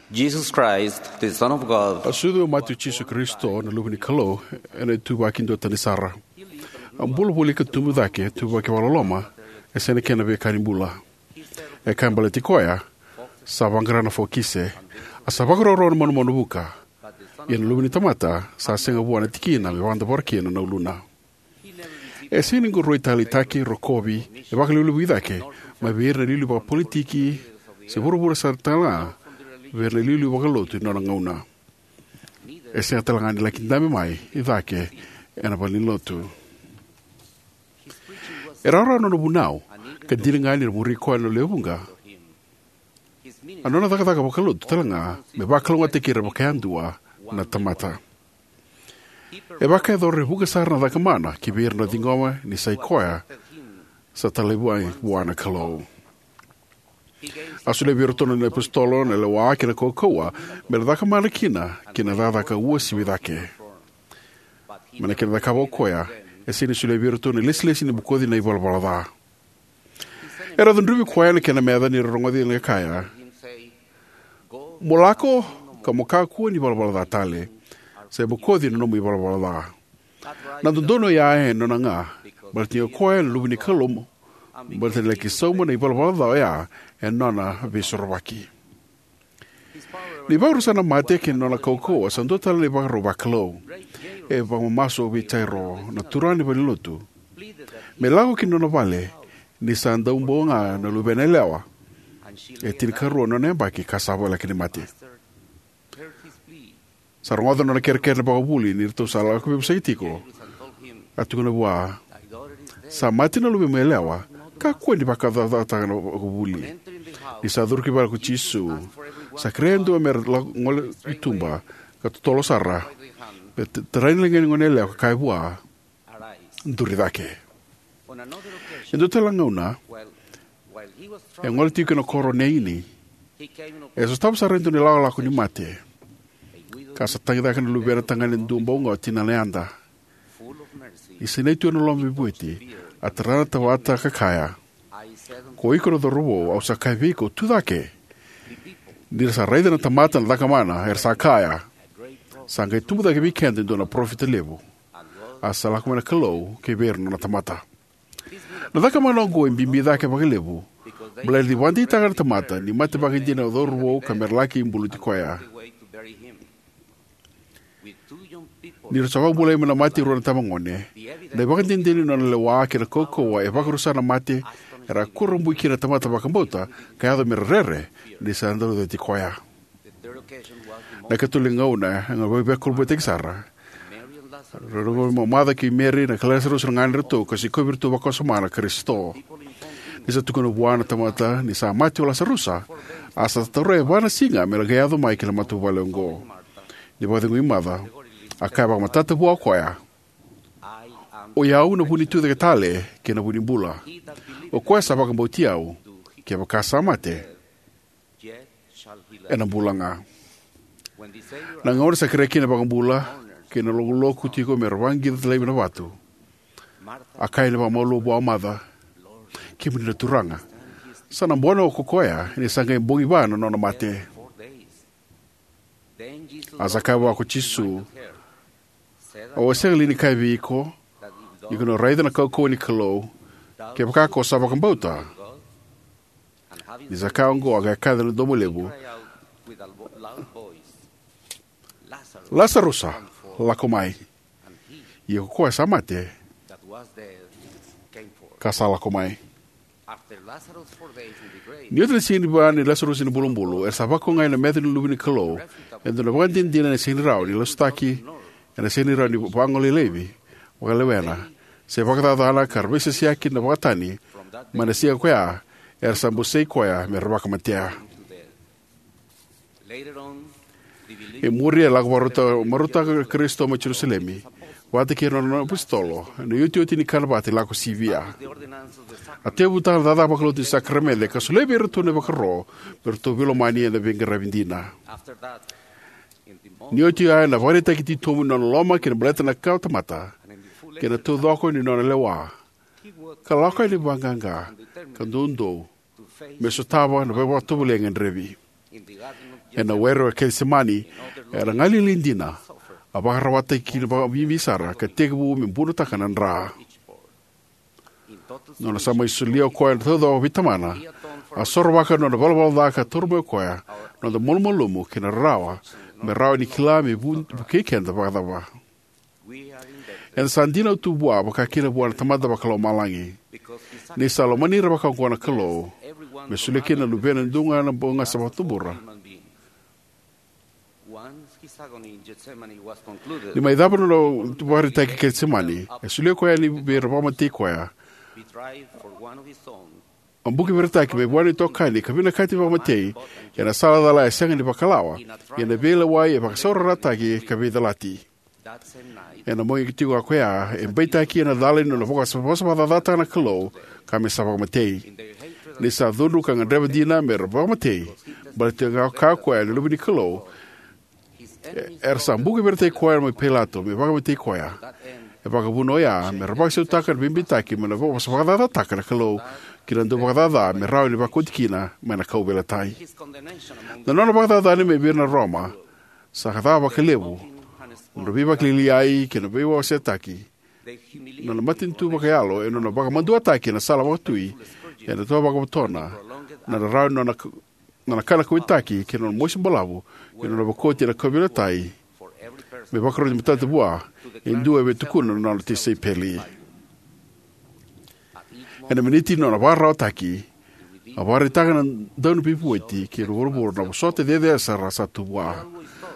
Jesus Christ, the Son of God. A sucu e mate o Jisu Karisito, na Luve ni Kalou, ena ituvaki duatani sara. A bula voli ka tubu cake, ituvaki vakaloloma, e sega na kena veika ni bula. E kaya baleti koya, sa vaqara na fokise, a sa vakaroro na manumanu vuka. Ia na Luve ni tamata, sa sega vua na tikina me vakadavora kina na uluna. E sega ni qoroitalitaki, rokovi, e vakalevulevui cake mai vei ira na iliuliu vakapolitiki, se vuravura sara tale ga vei ira na iliuliu vakalotu ni nona gauna. E sega tale ga ni laki dabe mai i cake ena valenilotu. E rawarawa na nona vunau, ka dina ga ni ra muri koya na lewe vuqa. A nona cakacaka vakalotu tale ga me vakalougatataki ira vakayadua na tamata. E vakayacora e vuqa sara na cakamana ki vei ira na ciqoma ni sa i koya sa talai vua na Kalou. A solia vei iratou na nona iapositolo na lewa kei na kaukauwa me ra cakamana kina ki na cakacaka uasivi cake. Mai na kena cakava o koya, e sega ni solia vei iratou na ilesilesi ni bokoci na ivalavala ca. Era cudruvi koya na kena meca ni ra rogoci na kaya, "Mo lako ka mo kakua ni valavala ca tale, se bokoci na nomu ivalavala ca." Na dodonu oya e nona ga, baleta ni o koya na Luve ni Kalou, baleta ni laki sauma na ivalavala ca oya e nona veisorovaki. Ni vakarusa na mate kei na nona kaukauwa sa dua tale na ivakarau vakalou. E vakamamasu vei Jairo, na turaga ni valenilotu, me lako ki na nona vale, ni sa dau bau ga na luvena yalewa e tinikarua na nona yabaki ka sa voleka ni mate. Sa rogoca na nona kerekere na vakavuvuli ni ratou sa lako veivosaki tiko. A tukuna vua, "Sa mate na luvemu yalewa, kakua ni vakacacataka na vakavuvuli." Ni sa curu ki vale ko Jisu, sa kerea e dua me ra lako gole i tuba ka totolo sara, me t-, tarai na ligana ni gone yalewa ka kaya vua, "Duri cake." E dua tale na gauna, e gole tiko ena koro o Neini, e sotava sara e dua na ilakolako ni mate, ka sa tagicaka na luvena tagane duabau ga o tinana yada. Ni sinai tu ena loloma veivueti, a tara na tamata ka kaya, "Ko iko na cauravou, au sa kaya vei iko, tu cake." Ni ra sa raica na tamata na cakamana, era sa kaya, "Sa qai tubu cake vei keda e dua na parofita levu." A sa lako mai na Kalou ki vei ira na nona tamata. Na cakamana oqo e bibi cake vakalevu, baleta ni vakadeitaka na tamata ni mate vakaidina na cauravou ka me ra laki buluti koya. Ni ra sa vakabulai mai na mate e rua na itabagone, na ivakadinadina ni nona lewa kei na kaukauwa e vakarusa na mate era a kurabui kina na tamata vakabauta ka yaco me ra rere ni sa dau cati koya. Na ikatolu ni gauna e veivakurabuitaki sara. Rau mai mamaca kei Meri na kai Lasarusa na ganedratou ka sikovi iratou vakawasoma na Karisito. Ni sa tukuna vua na tamata ni sa mate o Lasarusa, a sa taura e va na siga me na qai yaco mai ki na matavuvale oqo. Ni vakacegui maca, a kaya vakamatata vua o koya, "O i au na vu ni tucake tale kei na vu ni bula. O koya sa vakabauti au, kevaka sa mate, ena bula ga." Na gauna sa kerea kina na iVakabula kei na lokuloku tiko me ra vaqica laivi na vatu, a kaya ni vakamalua vua o Maca, "Kemuni na Turaga, sa na bona ko koya ni sa qai bogi va na nona mate." A sa kaya vua ko Jisu, "Au a sega li ni kaya vei iko ni ko na raica na kaukauwa ni Kalou, kevaka ko sa vakabauta?" Ni sa kaya oqo, a qai kaci ena domo levu, "Lasarusa, lako mai." Ia ko koya sa mate ka sa lako mai. Ni oti na siga ni va nei Lasarusa ena ibulubulu, era sa vakaogai ena meca ni Luve ni Kalou e dua na ivakadinadina e sega ni rawa ni lasutaki, ena sega ni rawa ni vagolei laivi, vakalewena, se vakacacana, ka ra veisesiyaki na vakatani. Mai na siga koya, era sa bosei koya me ra vakamatea. E muri, a lako marautaka na Karisito mai Jerusalemi vata kei ira na nona apositolo ena iotioti ni kana vata i Lako Sivia. A tekivutaka na cakacaka vakalotu ni sakaramede ka solia vei iratou na ivakaro me ratou veilomani ena veiqaravi dina. Ni oti oya, ena ivakaraitaki titobu ni nona loloma kina baleta na kawatamata kei na taucoko ni nona lewa, ka lako yani vaqaqa ka doudou me sotava na veivakatovolei e gadrevi. Ena were o Kecisemani, ena galili dina, a vakararawataki kina vakabibi sara ka tekivu me bunotaka na dra. Nona sa mai solia o koya na taucoko vei Tamana, a sorovaka na nona ivalavala ca ka taura mai o koya na noda malumalumu kei na rarawa, me rawa ni kila me vu- vukei keda vakacava. Eda sa dinau tu vua, vaka kina vua na Tamada Vakalomalagi, ni sa lomani ira vakaoqo na Kalou, me solia kina na Luvena e dua ga na bogi sa vakatubura. Ni mai cava na nona ivakaraitaki e Kecisemani, e solia o koya yani vei ira vakamatei koya. A buki veirataki mai vua na itokani ka vinakati vakamatei ena sala cala e sega ni vakalawa, ia na veilewai e vakasaurarataki ka veicalati. Ena bogi tiko ga ko ya, e beitaki ena cala ni nona vakasavasava cacataka na Kalou ka me sa vakamatei. Ni sa cudru ka gadreva dina me ra vakamatei, baleta ga o koya na Luve ni Kalou, e- era sa buki veirataki koya mai Pailato me vakamatei koya. E vakavuna oya me ra vakasautaka na veibeitaki mai na vakasavasava cacataka na Kalou ki na dau vakacaca me rawa ni vakoti kina mai na kauveilatai. Na nona vakacacani mai vei ira na Roma sa ka ca vakalevu, na nodra veivakalialiai kei na veiwasetaki, na nona matanitu vakayalo, ena nona vakamaduataki ena sala vakatui, ena toa vakavotona, na rarawa ni nona k- nona kana kauwaitaki kei na nona mosi balavu, kei na nona vakoti ena kauveilatai, me vakaroti matata vua e dua e via tukuna na nona tisaipeli. Ena miniti ni nona vakararawataki, a vakaraitaka na Dauniveivueti kei vuravura na vosota cecere sara sa tu vua.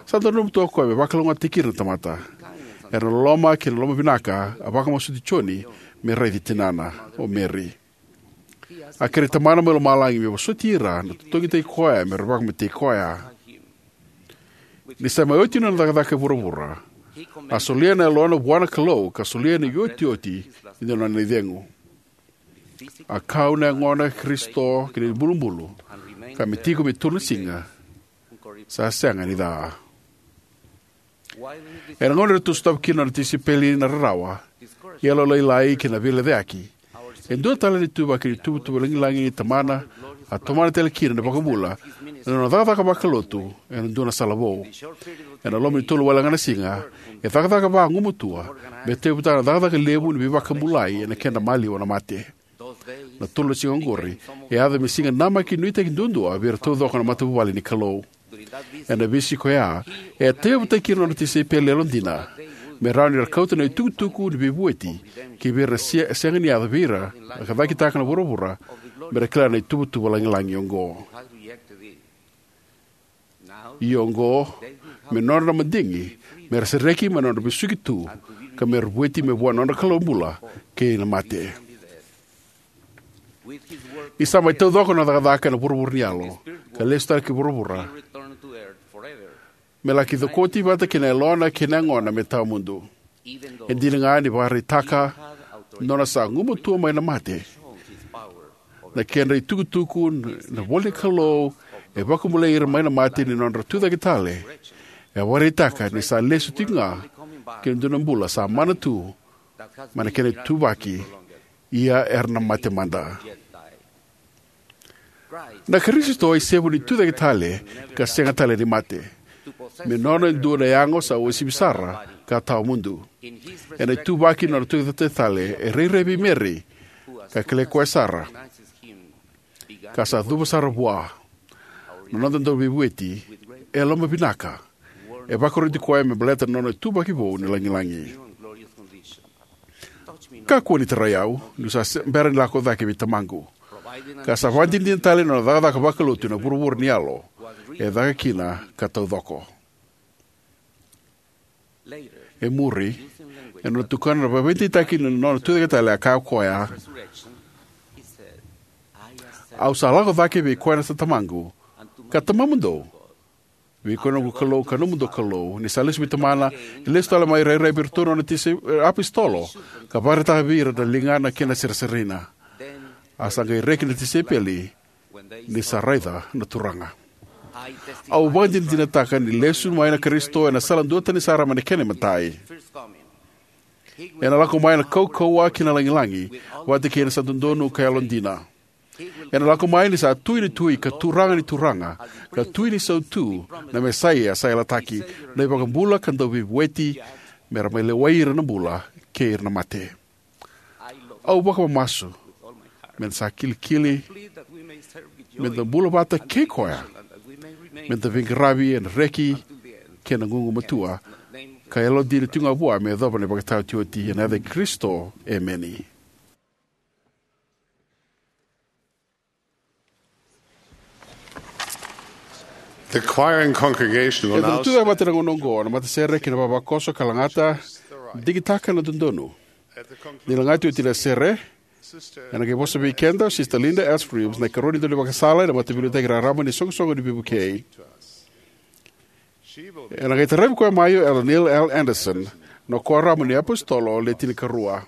Sa dodonu tu o koya me vakalougatataki ira na tamata. Era na loloma kei na lomavinaka, a vakamasuti Joni me raici tinana, o Meri. A kerei Tamana mai lomalagi me vosoti ira na totogitaki koya me ra vakamatei koya. Ni sa mai oti na nona cakacaka e vuravura, a solia na yalona vua na Kalou ka solia na iotioti ni nona icegu. A kau na yagona i Karisito ki na ibulubulu, ka me tiko me tolu na siga, sa sega ni ca. Ena gauna eratou sotava kina na nona tisaipeli na rarawa, yalolailai kei na veilecayaki, e dua tale na ituvaki ni ituvatuva lagilagi ni Tamana a tomana tale kina na iVakabula ena nona cakacaka vakalotu ena dua na sala vou. Ena loma ni tolu walega na siga, e cakacaka vagumatua me tauyavutaka na cakacaka levu ni veivakabulai ena kena maliwa na mate. Na tolu na siga oqori e yaco me siga namaki nuitaki duadua vei ira taucoko na matavuvale ni Kalou. Ena veisiko oya, e tauyavutaki ira na nona tisaipeli yalodina me rawa ni ra kauta na itukutuku ni veivueti ki vei ira na se- sega ni yaco vei ira, ka cakitaka na vuravura me ra kila na ituvatuva lagilagi oqo. Ia oqo, me nodra na madigi me ra sereki mai na nodra vesuki tu, ka me ra vueti mai vua na nodra Kalou bula kei na mate. Ni sa mai taucoko na nona cakacaka ena vuravura ni yalo, ka lesu tale ki vuravura me laki cokoti vata kei na yalona kei na yagona me tawamudu. E dina ga ni vakaraitaka na nona sa gumatua mai na mate, na kedra itukutuku na ivolanikalou e vakabulai ira mai na mate ni nodra tucake tale, E vakaraitaka ni sa lesu tiko ga ki na dua na bula sa mana tu mai na kena ituvaki, ia era na mate mada. Na Karisito e isevu ni tucake tale ka sega tale ni mate, me nona e dua na yago sa uasivi sara ka tawamudu. Ena ituvaki ni nona tucake tale, e rairai vei Meri ka kilai koya sara, ka sa cuva sara vua na noda Dauveivueti e lomavinaka. E vakaroti koya me baleta na nona ituvaki vou ni lagilagi. Kakua ni tarai au, niu sa se- bera ni lako cake vei Tamaqu, ka sa vakadinadina tale na nona cakacaka vakalotu ena vuravura ni yalo e caka kina ka taucoko. E muri, ena nona tukuna na veivakadeitaki ni nona tucake tale, a kaya o koya: "Au sa lako cake vei koya sa Tamaqu ka Tamamudou, vei koya na noqu Kalou ka nomudou Kalou." Ni sa lesu vei Tamana, e lesu tale mai rairai vei iratou na nona tise- apositolo, ka vakaraitaka vei ira na ligana kei na sereserena. A sa qai reki na tisaipeli ni sa raica na Turaga. Au vakadinadinataka ni lesu mai na Karisito ena sala duatani sara mai na kena imatai. Ena lako mai ena kaukauwa kei na lagilagi, vata kei na sa dodonu ka yalodina. Ena lako mai ni sa Tui ni tui ka Turaga ni turaga, ka Tui ni sautu, na Mesaia sa yalataki, na iVakabula ka Dauveivueti, me ra mai lewai ira na bula kei ira na mate. Au vakamamasu me da sa kilikili, me da bula vata kei koya, me da veiqaravi ena reki kei na gugumatua, ka yalodina tiko ga vua me yacova na ivakataotioti. Ena yaca i Karisito, emeni. The choir and congregation will E dua now tu e mata na gauna oqo na matasere kei na vavakoso ka lagata, digitaka na dodonu. Ni lagati oti na sere, ena qai vosa vei keda o Sister Linda S. Reeves, na ikarua ni daunivakasala ena Mataveiliutaki Raraba ni Soqosoqo ni Veivukei. Ena qai taravi koya mai o Elder Neil L. Andersen, na Kuoramu ni iApositolo Le Tinikarua.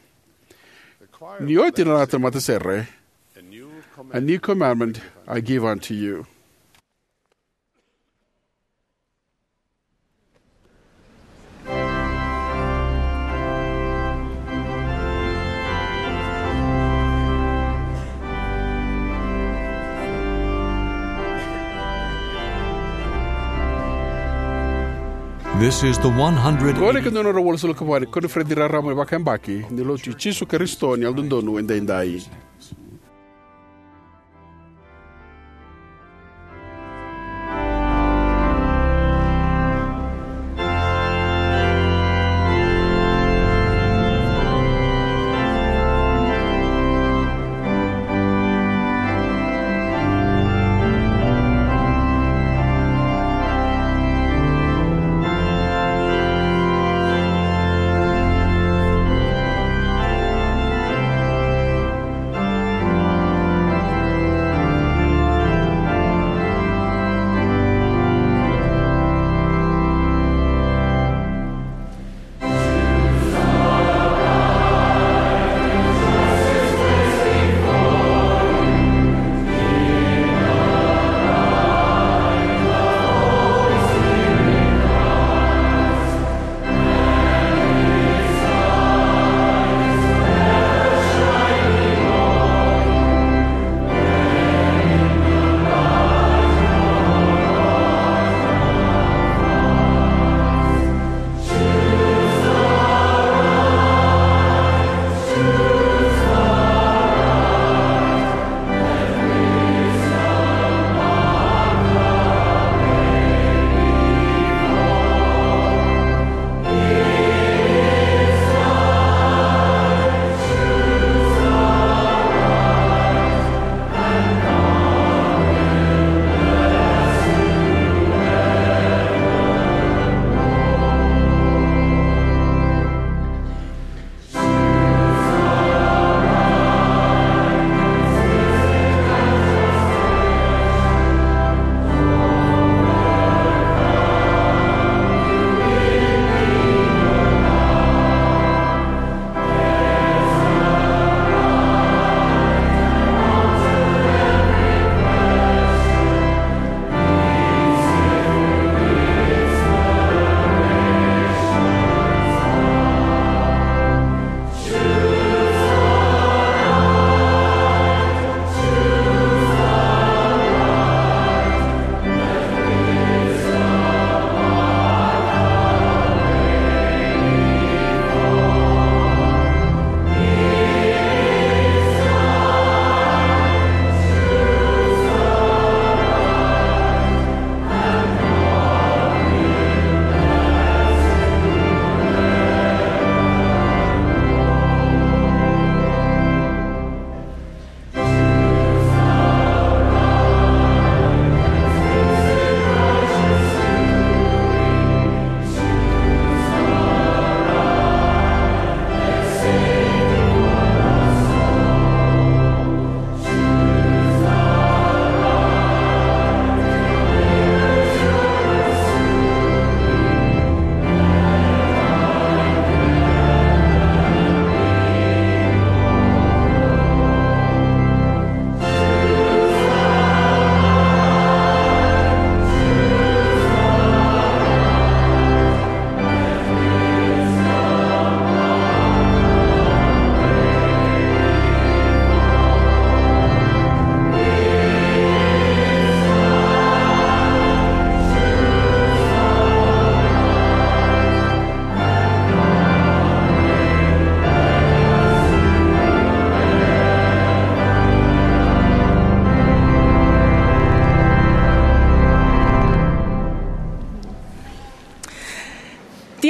Ni oti na lagata na matasere, "A new commandment I give unto you." This is the one hundred. Qo na ika dua na drau walusagavulu ka va ni koniferedi raraba ni vakayabaki ni Lotu i Jisu Karisito ni Yalododonu Edaidai.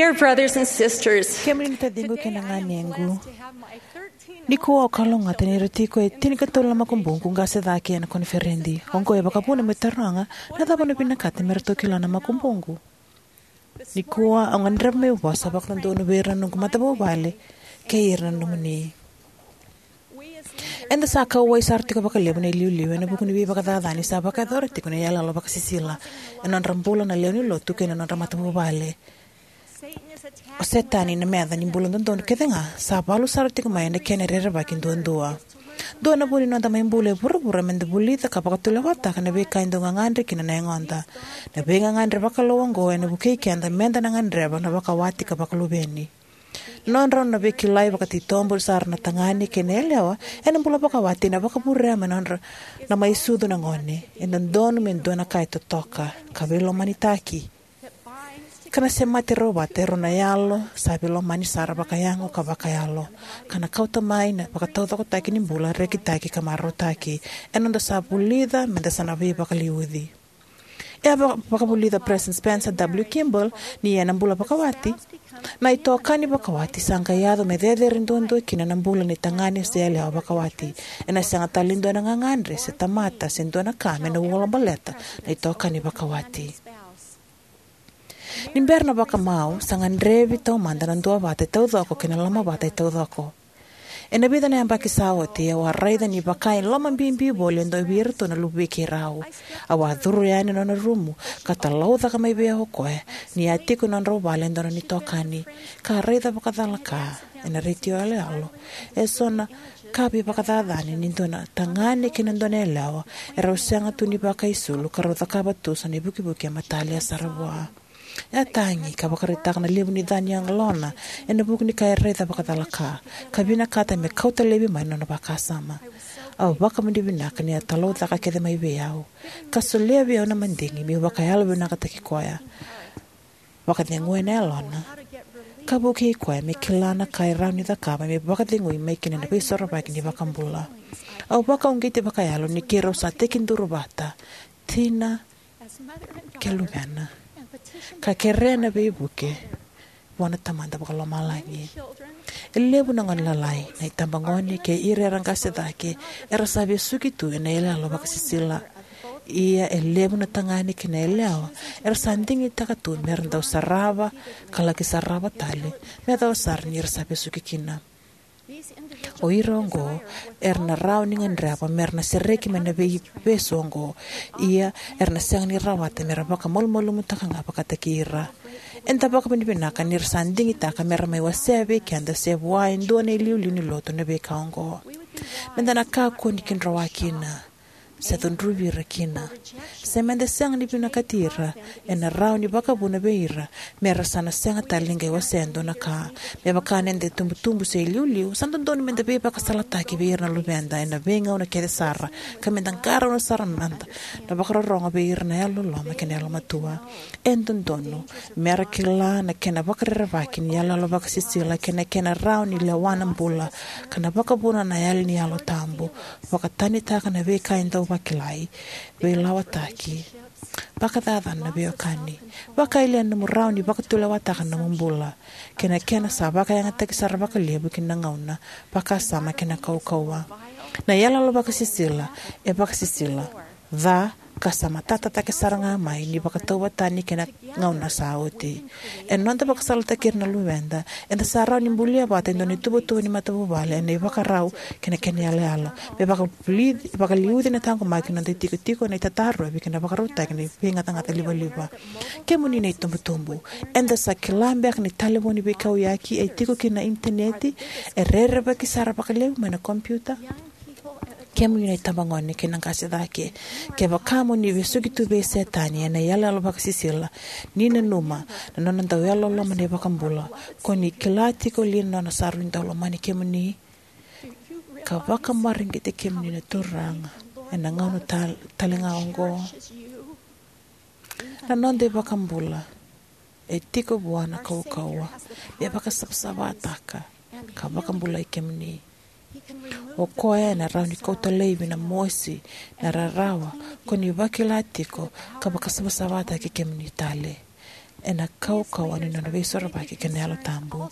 Dear brothers and sisters, kemuni na taciqu kei na ganequ, nikua au kalougata ni ra tiko e tinikatolu na makubuqu qase cake ena koniferedi. Oqo e vakavuna meu taroga na cava au na vinakata me ratou kila na makubuqu. Nikua au gadreva meu vosa vakadodonu vei ira na noqu matavuvale kei ira na nomuni. Eda sa kauwai sara tiko vakalevu na iliuliu ena vuku ni veivakacacani sa vakayacora tiko na iyaloyalo vakasisila ena nodra bula na lewe ni lotu kei na nodra matavuvale. O Setani, na meca ni bula dodonu kece ga, sa valu sara tiko mai ena kena rerevaki duadua. Dua na vu ni noda mai bula e vuravura meda vulica ka vakatulewataka na veika e dau gagadre kina na yagoda. Na veigagadre vakalou oqo ena vukei keda meda na gadreva na vakawati ka vakaluveni. Na nodrau na veikilai vakatitobu sara na tagane kei na yalewa ena bula vakawati ena vakavurea mai na nodra na mai sucu na gone. E dodonu me dua na ka e totoka ka veilomanitaki, ka na semati rau vata e rua na yalo sa veilomani sara vakayago ka vakayalo, ka na kauta mai na vakataucokotaki ni bula rekitaki ka marautaki. E noda sa vulica meda sa na veivakaliuci. E a vaka- vakavulica President Spencer W. Kimball ni ena bula vakawati, na itokani vakawati sa qai yaco me cecere duadua kina na bula ni tagane se yalewa vakawati. Ena sega tale ni dua na gagadre se tamata se dua na ka me na ulabaleta na itokani vakawati. Ni bera na vakamau, sa gadrevi taumada na duavata e taucoko kei na lomavata e taucoko. Ena vica na yabaki sa oti, au a raica ni vaka e lomabibi voli e dua vei iratou na luvei keirau. Au a curu yani na nona rumu, ka talaucaka mai vei au o koya ni a tiko e nodrau vale e dua na itokani, ka raica vakacalaka ena retio yaloyalo eso na ka veivakacacani ni dua na tagane kei na dua na yalewa e rau sega tu ni vakaisulu ka rau cakava tu so na ivukivuki e matalia sara vua. E a tagi ka vakaraitaka na levu ni ca ni yalona ena vuku ni ka e raica vakacalaka, ka vinakata me kauta laivi mai na nona vakasama. Au vakavinavinaka ni a talaucaka kece mai vei au ka solia vei au na madigi meu vakayalovinakataki koya, vakaceguya na yalona, ka vukei koya me kila na ka e rawa ni cakava me vakacegui mai kina na veisorovaki ni iVakabula. Au vakauqeti vakayalo ni keirau sa tekiduru vata, tina kei luvena, ka kerea na veivuke vua na Tamada Vakalomalagi. E levu na gone lalai, na itabagone kei ira era qase cake, era sa vesuki tu ena iyaloyalo vakasisila. Ia e levu na tagane kei na yalewa era sa digitaka tu mera dau sarava ka laki sarava tale, me yacova sara ni ra sa vesuki kina. O ira oqo era na rawa ni gadreva mera na sereki mai na veivesu oqo. Ia era na sega ni rawata mera vakamalumalumutaka ga vakataki ira. Eda vakavinavinaka ni ra sa digitaka mera mai wasea vei keda se vua e dua na iliuliu ni lotu na veika oqo. Meda na kakua ni kidrowa kina se cudruvi ira kina. Se meda sega ni vinakati ira, ena rawa ni vakavuna vei ira mera sa na sega tale ni qai wasea e dua na ka. Me vaka ni da itubutubu se iliuliu, sa dodonu meda veivakasalataki vei ira na luveda ena veigauna kece sara, ka meda qarauna sara mada na vakarorogo vei ira na yalololoma kei na yalomatua. E dodonu mera kila na kena vakarerevaki ni iyaloyalo vakasisila kei na kena rawa ni lewa na bula, ka na vakavuna na yali ni Yalo Tabu, vakatanitaka na veika e dau vakilai, veilawataki, vakacacana na veiwekani, vakayalia na nomu rawa ni vakatulewataka na nomu bula, kei na kena sa vakayagataki sara vakalevu ki na gauna, vakasama kei na kaukauwa. Na iyaloyalo vakasisila e vakasisila ca ka sa matata cake sara ga mai ni vakatauvatani kei na gauna sa oti. Ena noda vakasalataki ira na luveda, eda sa rawa ni bulia vata e dua na ituvatuva ni matavuvale ena ivakarau kei na kena iyaloyalo, me vakaliuci, vakaliuci na taqomaki ni noda itikotiko ena itatarovi kei na vakarautaki ni veigacagaca livaliva. Kemuni na itubutubu, eda sa kila beka ni talevoni veikauyaki e tiko kina na initaneti e rerevaki sara vakalevu mai na kompiuta? Kemuni na itabagone kei na qase cake, kevaka mo ni vesuki tu vei Setani ena iyaloyalo vakasisila, ni nanuma na nona dau yalololoma na iVakabula, ko ni kila tiko li na nona sa rui dau lomani kemuni, ka vakamareqeti kemuni na Turaga ena gauna tal-, tale ga oqo? Na noda iVakabula e tiko vua na kaukauwa me vakasavasavataka ka vakabulai kemuni. O koya ena rawa ni kauta laivi na mosi, na rarawa ko ni vakila tiko, ka vakasavasavataki kemuni tale. ena kaukauwa ni nona veisorovaki kei na Yalo Tabu.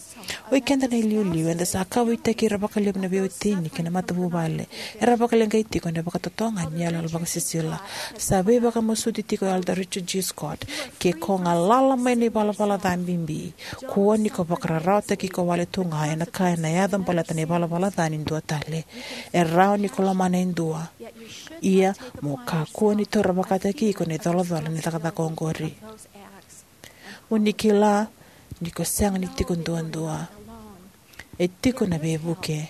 Oi keda na iliuliu, eda sa kauwaitaki ira vakalevu na veiwatini kei na matavuvale era vakaleqai tiko ena vakatotogani ni iyaloyalo vakasisila. Sa veivakamasuti tiko o Elder Richard G. Scott: Ke ko galala mai na ivalavala ca bibi, kua ni ko vakararawataki iko wale tu ga ena ka ena yaco baleta na ivalavala ca ni dua tale. E rawa ni ko lomana e dua, ia mo kakua ni taura vakataki iko na icolacola ni cakacaka oqori. Mo ni kila ni ko sega ni tiko duadua. E tiko na veivuke.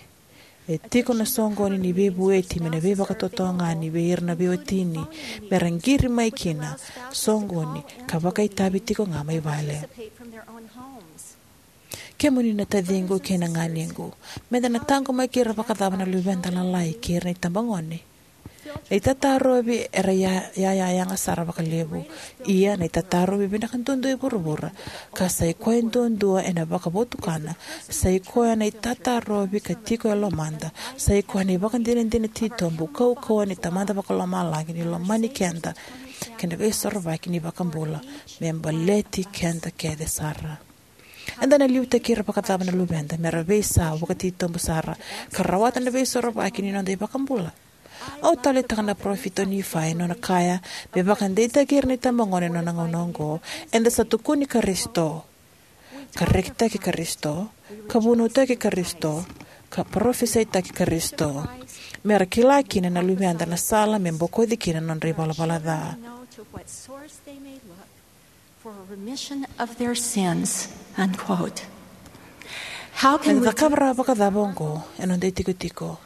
E tiko na soqoni ni veivueti mai na veivakatotogani vei ira na veiwatini me ra qiri mai kina, soqoni, ka vakaitavi tiko ga mai vale. Kemuni na taciqu kei na ganequ, meda na taqomaki ira vakacava na luveda lalai kei ira na itabagone? Na itatarovi era ya- ya- ya- yaga sara vakalevu. Ia na itatarovi vinaka duadua e vuravura, ka sa i koya duadua ena vakavotukana, sa i koya na itatarovi ka tiko e lomada, sa i koya na ivakadinadina titobu kaukauwa ni Tamada Vakalomalagi ni lomani keda kei na Veisorovaki ni iVakabula me baleti keda kece sara. Eda na liutaki ira vakacava na luveda me ra veisau vakatitobu sara ka rawata na Veisorovaki ni noda iVakabula? Au taleitaka na parofita o Nifai ena nona kaya me vakadeitaki ira na itabagone ena nona gauna oqo: Eda sa tukuni Karisito, ka rekitaki Karisito, ka vunautaki Karisito, ka parofisaitaki Karisito, me ra kila kina na luveda na sala me bokoci kina na nodra ivalavala ca. For a remission of their sins. Unquote. How can Eda we cakava rawa vakacava oqo ena noda itikotiko?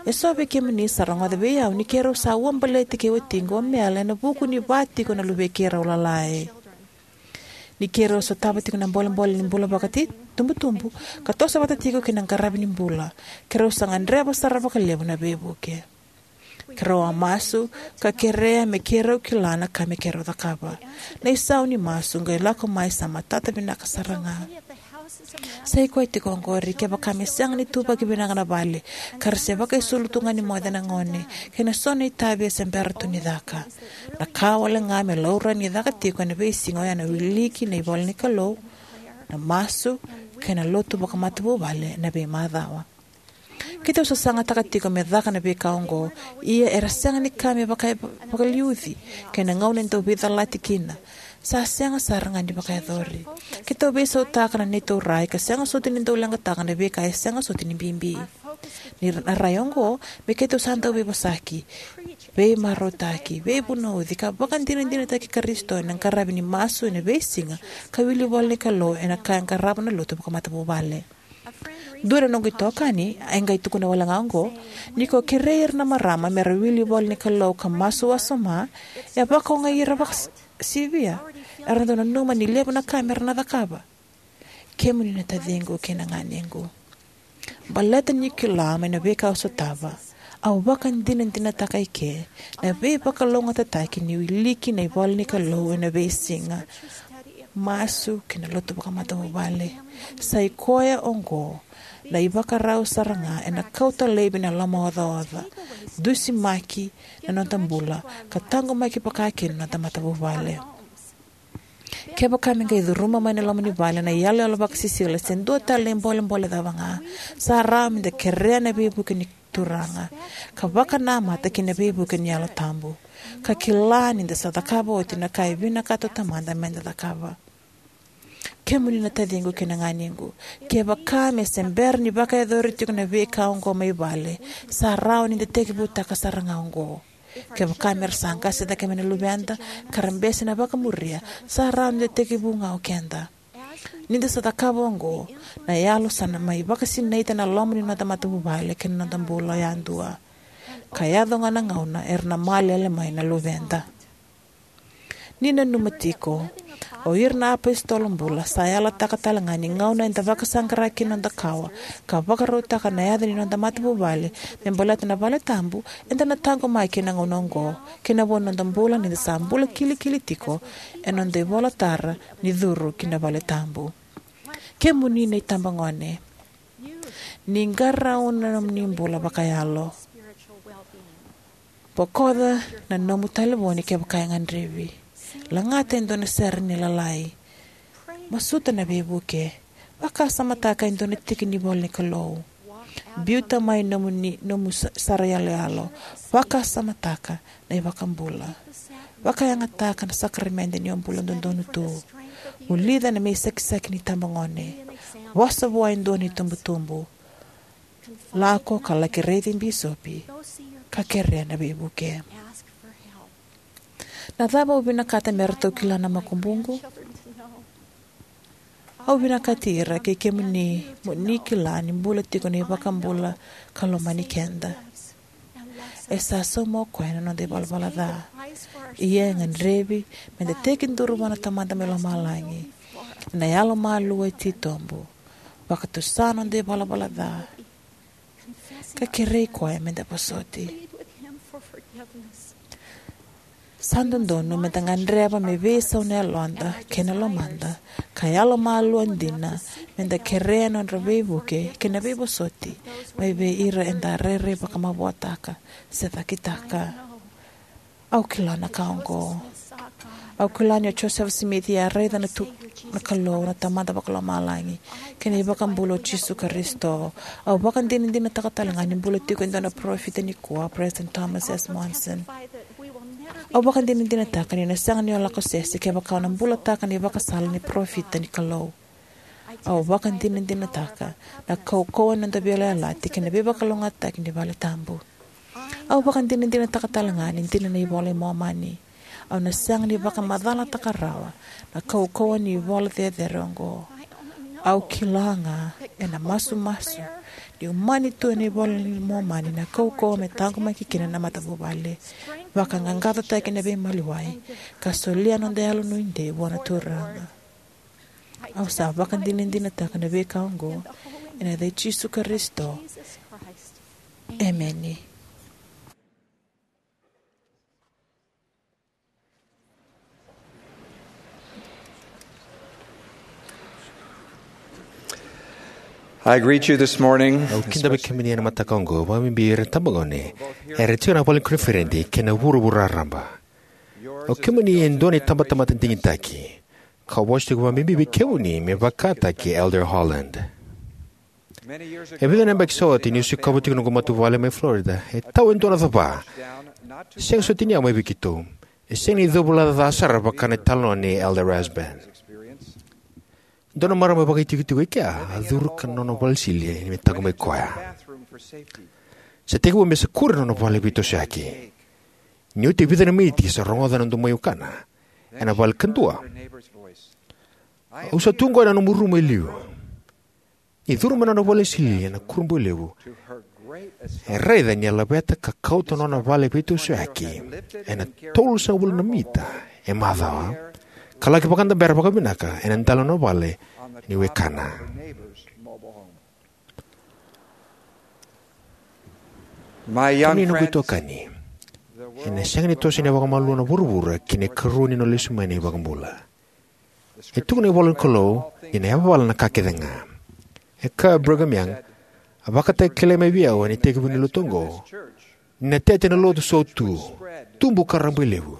Eso vei kemuni sa rogoca vei au ni keirau sa ua baleti kei watiqu o Mel ena vuku ni va tiko na luvei keirau lalai. Ni keirau sotava tiko na bolebole ni bula vakatitobutubu ka toso vata tiko kei na qaravi ni bula, keirau sa gadreva sara vakalevu na veivuke. Keirau a masu ka kerea me keirau kila na ka me keirau cakava. Na isau ni masu qai lako mai sa matata vinaka sara ga. Sa i koya tiko oqori, kevaka me sega ni tuvaki vinaka na vale, ka ra se vakaisulu tu ga ni moce na gone, kei na so na itavi e se bera tu ni caka. Na ka wale ga me laurai ni caka tiko ena veisiga oya na wiliki na ivola ni Kalou, na masu, kei na lotu vakamatavuvale ena veimacawa. Keitou sasagataka tiko me caka na veika oqo, ia era sega ni ka me vaka- vakaliuci, kei na gauna e dau veicalati kina. Sa sega sara ga ni vakayacori. Keitou veisautaka na neitou rai ka sega soti ni dau leqataka na veika e sega soti ni bibi. Ni ra- na rai oqo, me keitou sa dau veivosaki, veimarautaki, veivunauci, ka vakadinadinataki Karisito ena qaravi ni masu ena veisiga, ka wili ivola ni Kalou ena ka e qarava na lotu vakamatavuvale. Dua na noqu itokani e qai tukuna wale ga oqo: Ni ko kerei ira na marama me ra wili ivola ni Kalou ka masu wasoma, e vakaogai ira vakasivia. Era dau nanuma ni levu na ka me ra na cakava. Kemuni na taciqu kei na ganequ, baleta niu kila mai na veika au sotava, au vakadinadinataka eke na veivakalougatataki ni wiliki na ivola ni Kalou ena veisiga, masu, kei na lotu vakamatavuvale. Sa i koya oqo na ivakarau sara ga ena kauta laivi na lomaocaoca, dusimaki na noda bula, ka taqomaki vakakina na noda matavuvale. Kevaka me qai curuma mai na loma ni vale na iyaloyalo vakasisila se dua tale na ibolebole cava ga, sa rawa meda kerea na veivuke ni Turaga, ka vakanamata ki na veivuke ni Yalo Tabu, ka kila ni da sa cakava oti na ka e vinakata o Tamada meda cakava. Kemuni na taciqu kei na ganequ, kevaka me se bera ni vakayacori tiko na veika oqo mai vale, sa rawa ni da tekivutaka sara ga oqo. Kevaka me ra sa qase cake mai na luveda ka ra bese na vakamuria, sa rawa ni da tekivu ga o keda. Ni da sa cakava oqo, na Yalo sa na mai vakasinaita na loma ni noda matavuvale kei na noda bula yadua, ka yaco ga na gauna era na malele mai na luveda. Ni nanuma tiko, o ira na apositolo bula sa yalataka tale ga ni gauna eda vakasaqara kina na noda kawa ka vakarautaka na yaca ni noda matavuvale me baleta na vale tabu, eda na taqomaki ena gauna oqo kei na vo ni noda bula ni da sa bula kilikili tiko ena noda ivolatara ni curu ki na vale tabu. Kemuni na itabagone, ni qarauna na nomuni bula vakayalo. Bokoca na nomu talevoni kevaka e gadrevi. Lagata e dua na sere ni lalai. Masuta na veivuke. Vakasamataka e dua na tiki ni ivola ni Kalou. Biuta mai nomu, ni, nomu sa-, sara iyaloyalo. Vakasamataka na iVakabula. Vakayagataka na sakaramede ni o bula dodonu tu. Vulica na me isakisaki ni tabagone. Vosa vua e dua na itubutubu. Lako ka laki raici bisopi ka kerea na veivuke. Na cava au vinakata me ratou kila na makubuqu? Au vinakati ira kei kemuni mo ni kila ni bula tiko na iVakabula ka lomani keda. E sa sauma o koya na noda ivalavala ca. Ia e gadrevi meda tekiduru vua na Tamada mai lomalagi ena yalomalua e titobu, vakatusa noda ivalavala ca, ka kerei koya meda vosoti. Sa dodonu meda gadreva me veisau na yaloda kei na lomada, ka yalomalua dina meda kerea na nodra veivuke kei na veivosoti mai vei ira eda rairai vakamavoataka se cakitaka. Au kila na ka oqo. Au kila ni o Joseph Smith e a raica na tu, na Kalou, na Tamada Vakalomalagi, kei na iVakabula o Jisu Karisito. Au vakadinadinataka tale ga ni bula tiko e dua na parofita nikua, President Thomas S. Monson. Au vakadinadinataka ni na sega ni o lako sese kevaka o na bulataka na ivakasala ni parofita ni Kalou. Au vakadinadinataka na kaukauwa ni noda veiyalayalati kei na veivakalougatataki ni vale tabu. Au vakadinadinataka tale ga ni dina na iVola i Momani. Au na sega ni vakamacalataka rawa na kaukauwa ni ivola cecere oqo. Au kila ga ena masumasu ni umani tu ena iVola i Momani na kaukauwa me taqomaki kina na matavuvale, vakaqaqacotaki na veimaliwai, ka solia noda yalonuidei vua na Turaga. Au sa vakadinadinataka na veika oqo ena yaca i Jisu Karisito. Emeni. I greet you this morning. Au kidavaki kemuni ena mataka oqo, vakabibi ira na tabagone era tiko ena vale ni koniferedi kei na vuravura raraba. O kemuni e dua na itabatamata digitaki, ka vosa tiko vakabibi vei kemuni me vakataki Elder Holland. E vica na yabaki sa oti niu sikova tiko noqu matavuvale mai Florida, e tau e dua na cava. Sega soti ni yawa mai vei keitou. E sega ni covulaca ca sara vaka na italanoa nei Elder Rasband. Dua na marama vakaitikotiko e kea a curu ki na nona vale sili me taqomaki koya. Sa tekivu me sa kure na nona vale veitosoyaki. Ni oti e vica na miniti sa rogoca na domoi wekana ena vale kadua. Au sa tu qo ena nomu rumu e liu. Ni curu mai na nona vale sili ena kurabui levu, e raica ni a laveta ka kauta na nona vale veitosoyaki ena tolusagavulu na mita e macawa, ka laki vakadabera vakavinaka ena dela ni nona vale ni wekana. Kemuni na noqu itokani, ena sega ni toso ena vakamalua na vuravura ki na ikarua ni nona lesu mai na iVakabula. E tukuna na ivola ni Kalou ni na yavala na ka kece ga. E kaya o Brigham Young, a vakatakilai mai vei au ena itekivu ni lotu oqo, ni na tete na lotu sautu, tubu ka rabailevu.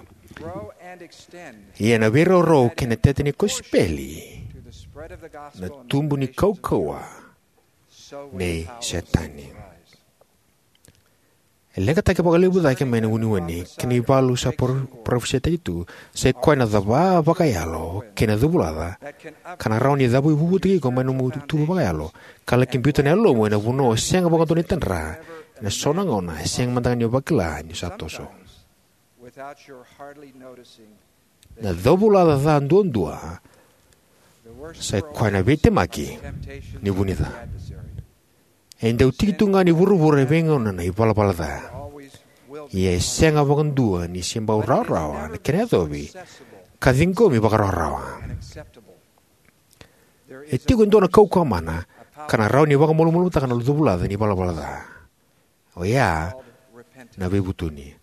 Ia na veiraurau kei na tete ni kosipeli na tubu ni kaukauwa nei Setani. E leqataki vakalevu cake mai na uneune kei na ivalu sa par-, parofisaitaki tu, sa i koya na cava vakayalo kei na covulaca ka na rawa ni cavuivuvutaki iko mai na nomu tuva vakayalo, ka laki biuta na yalomu ena vanua o sega vakadua ni tadra ena so na gauna, e sega mada ga ni o vakila ni sa toso. Na covulaca ca duadua sa i koya na veitemaki ni vunica. E dau tiki tu ga ni vuravura e veigauna na ivalavala ca. Ia e sega vakadua ni se bau rawarawa na kena yacovi ka ciqomi vakarawarawa. E tiko e dua na kaukauwa mana ka na rawa ni vakamalumalumutaka na covulaca ni valavala ca. Oya na veivutuni.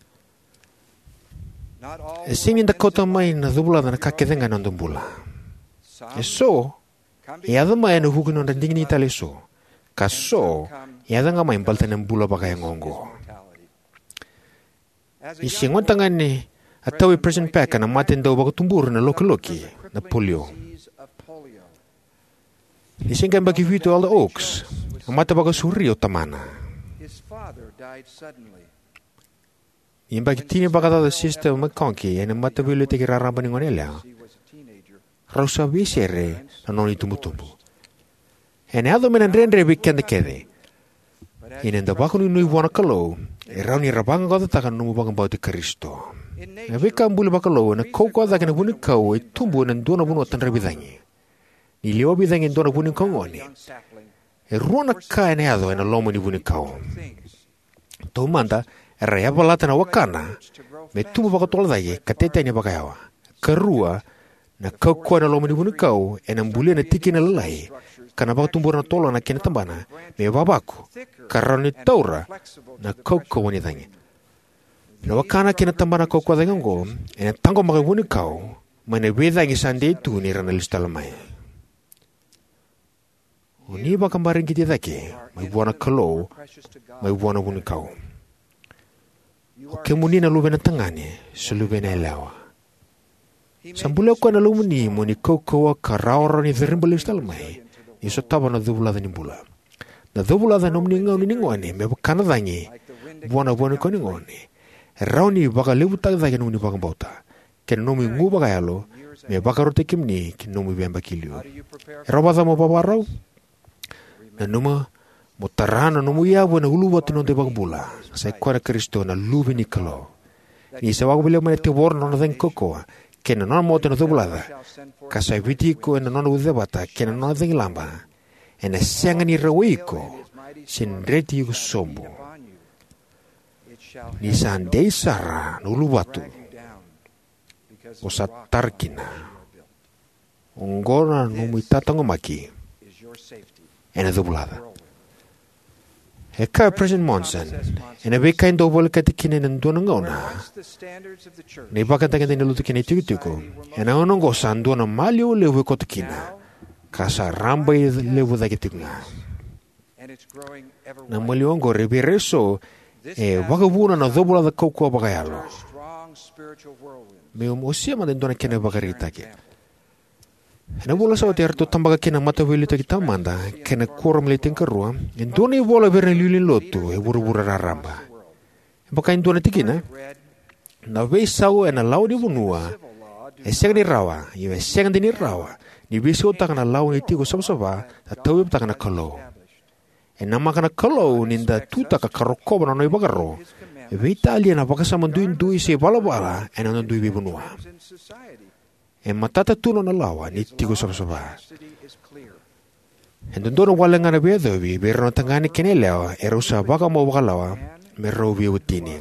E sega ni da kauta mai na covulaca na ka kece ga ena noda bula. E so e yaco mai ena vuku ni nodra digidigi tale e so, ka so e yaco ga mai baleta na bula vakayago oqo. Ni se gone tagane a tau vei President Packer na mate dau vakatubura na lokiloki, na polio. Ni se qai yabaki vitu o Elder Oaks, a mate vakasauri o tamana. Ni yabaki tini vakacaca o Sister McConkie ena mataveiliutaki raraba ni goneyalewa, rau sa veisere na nona itubutubu. Ena yaco me na dredre vei keda kece, ia ni da vakanuinui vua na Kalou, e rawa ni ra vaqaqacotaka na nomu vakabauti Karisito. Na veika buli vakalou ena kaukauwa cake na vunikau e tubu ena dua na vanua tadravi cagi. Ni liwavi cagi e dua na vunikau gone, e rua na ka ena yaco ena loma ni vunikau. Taumada, era yavalata na wakana me tubu vakatotolo cake ka titani vakayawa. Karua, na kaukauwa ena loma ni vunikau ena bulia na tikina lailai ka na vakatubura na tolona kei na tabana me vavaku ka rawa ni taura na kaukauwa ni cagi. Na wakana kei na tabana kaukauwa cake oqo ena taqomaka na vunikau mai na veicagi sa dei tu ni ra na lesu tale mai. O ni vakabaraigiti cake mai vua na Kalou, mai vua na vunikau. O kemuni na luvena tagane se luvena yalewa, sa bulia o koya na lomamuni mo ni kaukauwa ka rawarawa ni cariba lesu tale mai ni sotava na covulaca ni bula. Na covulaca ena nomuni gauna ni gone me vaka na cagi vua na vunikau ni gone, e rawa ni vakalevutaka cake na nomuni vakabauta kei na nomu igu vakayalo me vakarautaki kemuni ki na nomu veiyabaki liu. E rawa vakacava mo vakarau? Nanuma mo tara na nomu yavu ena uluvatu ni noda iVakabula, sa i koya na Karisito, na Luve ni Kalou. Ni sa vakavolivolita mai na tevoro na nona cagi kaukauwa kei na nona moto ena covulaca, ka sa viti iko ena nona ucacevata kei na nona cagilaba, ena sega ni rawai iko se dreti iko sobu. Ni sa dei sara na uluvatu o sa tara kina. Oqo na nomu itataqomaki ena covulaca. E kaya o President Monson, ena veika e dau volekati kina ena dua na gauna na ivakatagedegede ni lotu kei na itikotiko, ena gauna oqo sa dua na maliwa levu e koto kina, ka sa rabailevu cake tiko ga. Na maliwa oqori vei ira eso e vakavuna na covulaca kaukauwa vakayalo. Meu wasea mada e dua na kena ivakaraitaki. Ena vula sa oti eratou tabaka kina na mataveiliutaki taumada kei na kuoramu ni Le Tinikarua e dua na ivola vei ira na iliuliu ni lotu e vuravura raraba. E vaka e dua na tikina: Na veisau ena lawa ni vanua e sega ni rawa, io e sega dina ni rawa ni veisautaka na lawa ni tiko savasava sa tauyavutaka na Kalou. E namaka na Kalou ni da tutaka ka rokova na nona ivakaro, veitalia na vakasama duidui se ivalavala ena noda dui veivanua. E matata tu na nona lawa ni tiko savasava. E dodonu wale ga na veiyacovi vei rau na tagane kei na yalewa erau sa vakamau vakalawa me rau veiwatini.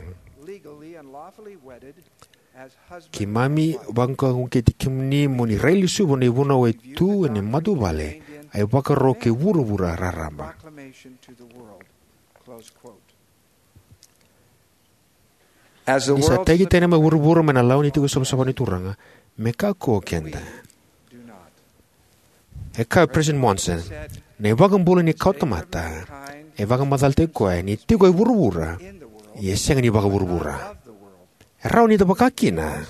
Keimami vakauqeti kemuni mo ni railesuva na ivunau e tu ena matavuvale, a ivakaro kei vuravura raraba. Ni sa tagi tani mai vuravura mai na lawa ni tiko savasava ni Turaga, me kakua o keda. E kaya o President Monson, na iVakabula ni kawatamata e vakamacalataki koya ni tiko e vuravura, ia e sega ni vakavuravura. E rawa ni da vaka kina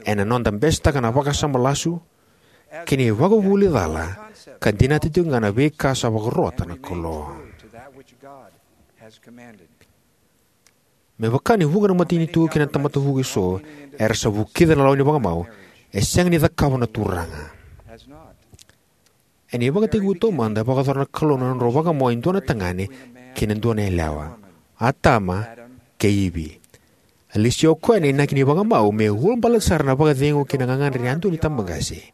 ena noda besetaka na vakasama lasu kei na ivakavuvuli cala, ka dinata tiko ga na veika sa vakarota na Kalou. Me vaka ni vuqa na matanitu kei na tamata vuku eso era sa vukica na lawa ni vakamau, e sega ni cakava na Turaga. Ena ivakatekivu taumada, e vakayacora na Kalou na nodrau vakamau e dua na tagane kei na dua na yalewa, Atama kei Ivi. A lesia o koya na inaki ni vakamau me ulabaleta sara na vakacegu kei na gagadre ni yadua ni tabaqase.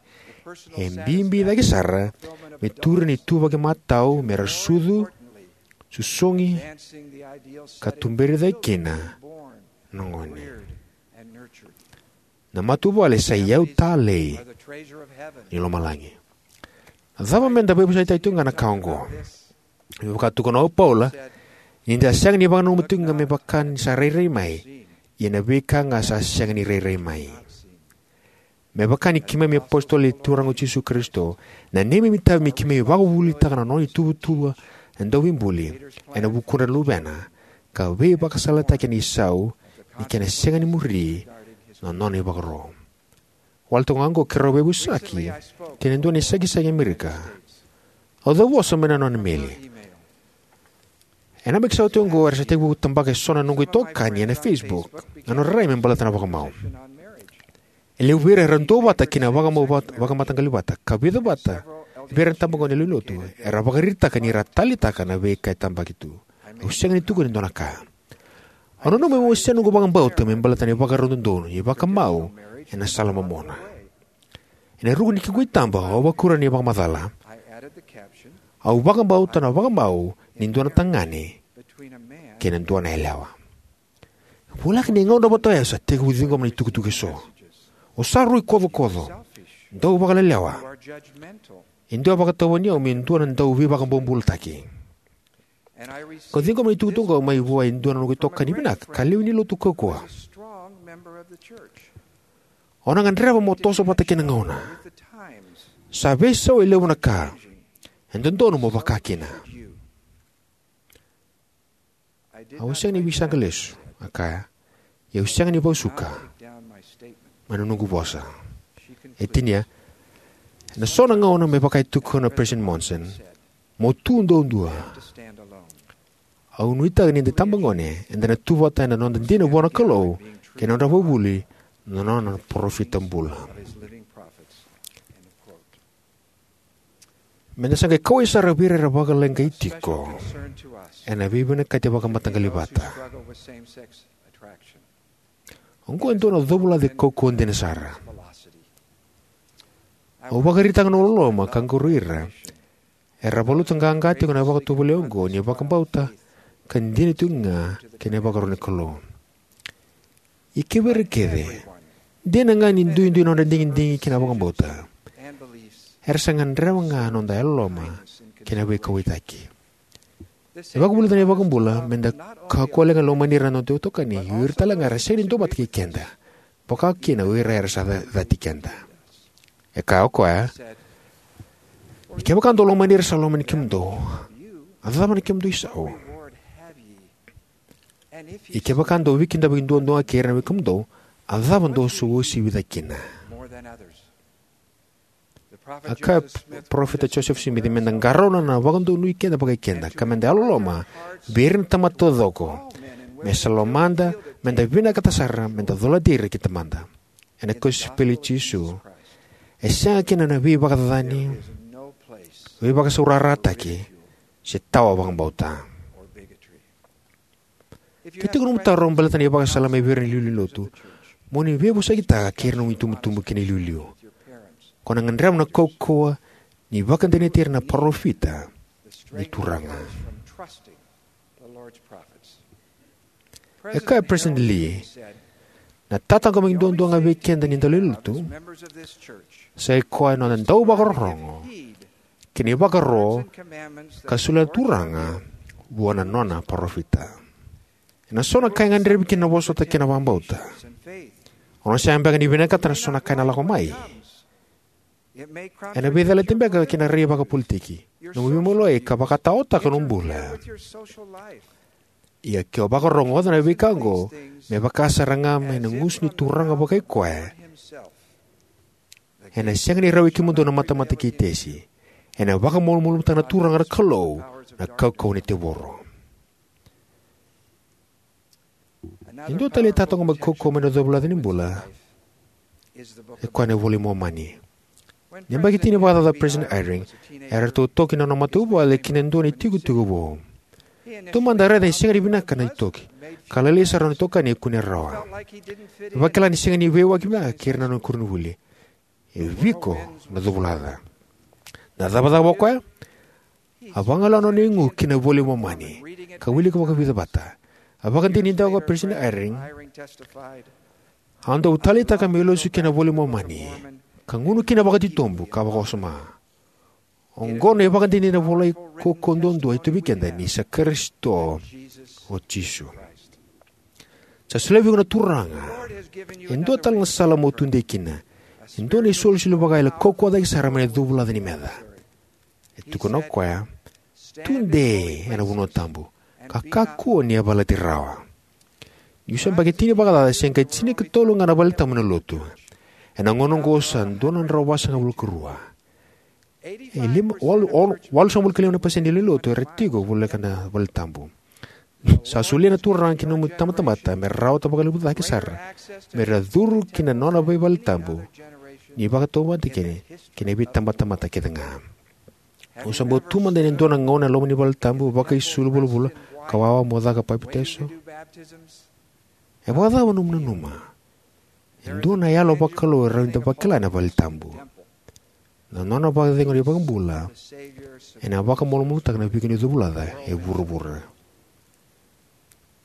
E bibi cake sara me turi na ituvaki matau me ra sucu, susugi, ka tuberi cake kina na gone. Na matavuvale sa iyau talei ni lomalagi. Na cava me da veivasaitaka tiko ga na ka oqo? Me vaka tukuna o Paula, ni da sega ni vakananuma tiko ga me vaka ni sa rairai mai, ia na veika ga sa sega ni rairai mai. Me vaka ni keimami apositolo ni Turaga o Jisu Karisito, na neimami itavi me keimami vakavuvulitaka na nona ituvatuva na dauveibuli ena vukudra na luvena, ka veivakasalataki ena isau ni kena sega ni muri na nona ivakaro. Wale toka ga oqo keirau veivosaki kei na dua na isakisakivuke e Amerika. Au cauvosa mai na nona meli. Ena yabaki sa oti oqo era sa tekivu tabaka eso na noqu itokani ena Facebook na nodra rai me baleta na vakamau. E levu vei ira era duavata kei na vakamau vata- vakamataqali vata, ka vica vata vei ira na tabagone ni lewenilotu era vakaraitaka ni ra taleitaka na veika e tabaki tu. Au sega ni tukuna e dua na ka. Au nanuma meu wasea noqu vakabauta me baleta na ivakarau dodonu ni vakamau ena sala momona. Ena ruku ni kequ itaba, au a vakuria na ivakamacala: Au vakabauta na vakamau ni dua na tagane kei na dua na yalewa. Voleka ni gauna vata oya sa tekivu ciqoma na itukutuku eso. O sa rui kocokoco, dau vakalelewa. E dua e vakatauva ni au me dua na dau veivakabobulataki. Kau ciqoma na itukutuku oqo mai vua e dua na noqu itokani vinaka ka lewe ni Lotu kaukauwa: O na gadreva mo toso vata kei na gauna. Sa veisau e levu na ka. E dodonu mo vakakina. Au sega ni veisaqa lesu, a kaya, ia au sega ni vakasuka mai na noqu vosa. E tinia: Ena so na gauna, me vaka e tukuna o Peresitedi Monson, mo tu duadua. Au nuitaka ni da itabagone eda na tu vata ena noda dina vua na Kalou kei na nodra ivakavuvuli na nona parofita bula. Me da sa qai kauwai sara vei ira era vakaleqai tiko ena veivinakati vakamataqali vata. Oqo e dua na covulaca e kaukauwa dina sara. Au vakaraitaka na loloma ka qori ira era valuta qaqa tiko na vakatovolei oqo ni vakabauta ka dina tiko ga kei na ivakaro ni Kalou. Ia kivei ira kece, dina ga ni duidui na nodra digidigi kei na vakabauta, era sa gadreva ga na noda yalololoma kei na veikauwaitaki. E vakavulica na iVakabula me da kakua ga ni lomani ira na noda itokani, ia o ira tale ga era sega ni duavata kei keda, vaka kina o ira era sa ca- cati keda. E kaya o koya: Ia kevaka dou lomani ira sa lomani kemudou, a cava na kemudou isau? Ia kevaka dou veikidavaki duadua ga kei ira na wekadou, a cava dou sa uasivi cake kina? A kaya o Parofita Josefa Simici me da qarauna na vakadonui keda vakai keda, ka me da yalololoma vei ira na tamata taucoko, me sa lomada me da vinakata sara me da colati ira ki Tamada. Ena kosipeli i Jisu, e sega kina na veivakacacani, veivakasaurarataki, se tawa vakabauta. Ke tiko nomu taro baleta na ivakasala mai vei ira na iliuliu ni lotu, mo ni veivosakitaka kei ira na nomu itubutubu kei na iliuliu. Ko na gadreva na kaukauwa ni vakadinati ira na parofita ni Turaga. E kaya o Peresitedi Lee: Na tataqomaki duadua ga vei keda ni daulewenilotu sa ikoya na noda dau vakarorogo ki na ivakaro ka solia na Turaga vua na nona parofita. Ena so na ka e gadrevi kina na vosota kei na vakabauta. O na sega beka ni vinakata na so na ka ena lako mai. Ena veicalati beka ki na rai vakapolitiki, nomu veimaliwai, ka vakataotaka nomu bula. Ia ke o vakarogoca na veika oqo me vaka sara ga mai na gusu ni Turaga vakai koya, ena sega ni rawa i kemudou na matamata kei Tesi. Ena vakamalumalumutaka na Turaga na Kalou na kaukauwa ni tevoro. E dua tale na itataqomaki kaukauwa mai na covulaca ni bula e koya na iVola i Momani. Ni yabaki tini vakacaca o Peresitedi Eyring, eratou toki na nona matavuvale ki na dua na itikotiko vou. Taumada a raica ni sega ni vinaka na itoki, ka lailai sara na nona itokani e kune rawa. E vakila ni sega ni veiwaki vinaka kei ira na nona koronivuli. E viko na covulaca. Na cava caka vua o koya? A vagalawa na nona igu ki na iVola i Momani ka wilika vakavica vata. A vakadinadinataka o Peresitedi Eyring: Au dau taleitaka meu lesu ki na iVola i Momani ka gunu kina vakatitobu ka vakawasoma. Oqo na ivakadinadina volai kaukauwa duadua e tu vei keda, ni sa Karisito o Jisu. Sa solia vei iko na Turaga e dua tale na sala mo tudei kina, e dua na isolisoli vakayalayala kaukauwa cake sara mai na covulaca ni meca. E tukuna o koya: Tudei ena vanua tabu ka kakua ni yavalati rawa. Niu se yabaki tini vakacaca, se qai tinikatolu ga na valetabu ena lotu. Ena gauna oqo sa dua na drau vasagavulu ka rua. E lima, walu, ono, walusagavulu ka lima na pasede ni lewe ni lotu era tiko voleka na vale tabu. Sa solia na Turaga ki na nomu itabatamata me rawata vakalevu cake sara me ra curu ki na nona veivale tabu ni vakatautauvata kina ki na veitabatamata kece ga. Au sa bau tu mada ena dua na gauna ena loma ni vale tabu, vakaisulu vulavula, ka wawa mo caka papitaiso. E vakacava nomu nanuma? E dua na yalo vakalou e rawa ni da vakila ena vale tabu. Na nona vakacegu na iVakabula ena vakamalumalumutaka na veika ni covulaca e vuravura.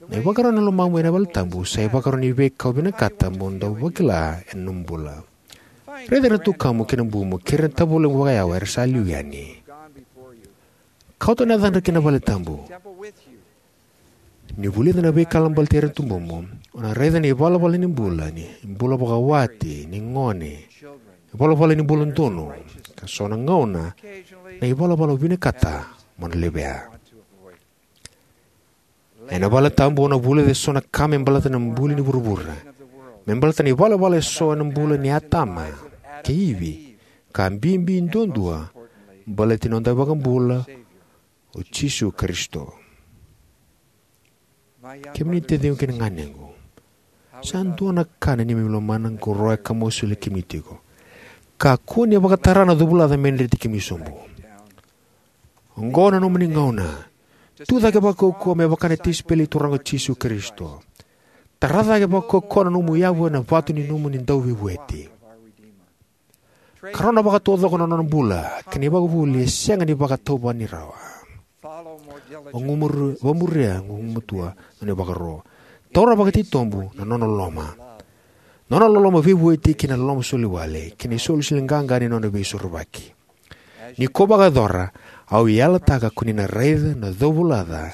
Na ivakarau ni lomamu ena vale tabu sa ivakarau ni veika o vinakata mo dau vakila ena nomu bula. Raica ira na tukamu kei na bumu kei ira na tavulemuka vakayawa era sa liu yani. Kauta na yacadra ki na vale tabu. Ni vulica na veika baleti ira na tubumu, o na raica na ivalavala ni bula, ni bula vakawati, ni gone, ivalavala ni bula donu, ka so na gauna na ivalavala o vinakata mo na levea. Ena vale tabu o na vulica eso na ka me baleta na buli ni vuravura, me baleta na ivalavala eso ena bula nei Atama kei Ivi, ka bibi duadua baleti noda iVakabula o Jisu Karisito. Kemuni taciqu kei na ganequ, sa dua na ka na neimami lomana qoroya ka mau solia kemuni tiko. Kakua ni vakatara na covulaca me dreti kemuni sobu. Oqo na nomuni gauna. Tu cake vakaukauwa me vaka na tisaipeli ni Turaga o Jisu Karisito. Tara cake vakaukauwa na nomu yavu ena vatu ni nomuni dauveivueti. Karona vakataucoko na nona bula kei na ivakavuvuli e sega ni vakatauvatani rawa. Vagumuri-, vamuria gugumatua na nona ivakaro. Taura vakatitobu na nona loloma. Nona loloma veivueti kei na loloma soliwale kei na isolisoli qaqa ni nona veisorovaki. Ni ko vakayacora, au yalataka ko ni na raica na covulaca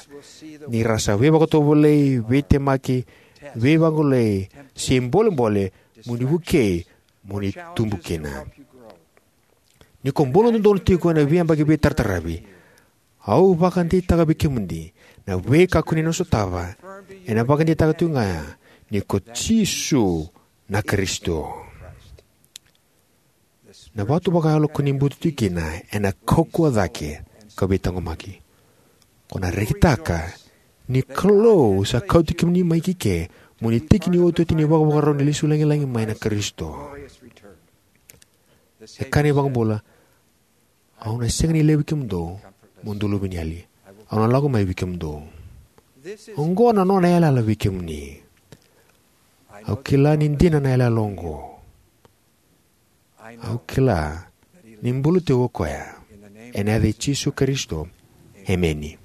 ni ra sa veivakatovolei, veitemaki, veivagolei, se bolebole mo ni vukei mo ni tubu kina. Ni ko bula dodonu tiko ena veiyabaki veitarataravi, au vakadeitaka vei kemuni na veika ko ni na sotava ena vakadeitaka tiko ga ni ko Jisu na Karisito. Na vatu vakayalo ko ni butu tiko kina ena kaukauwa cake ka veitaqomaki. Ko na rekitaka ni Kalou sa kauti kemuni mai kike mo ni tiki ni otioti ni vakavakarau ni lesu lagilagi mai na Karisito. E kaya na iVakabula, au na sega ni laivi kemudou mo dou luveniyali. Au na lako mai vei kemudou. Oqo na nona yalayala vei kemuni. Au kila ni dina na yalayala oqo. Au kila ni bula tiko o koya. Ena yaca i Jisu Karisito. Emeni.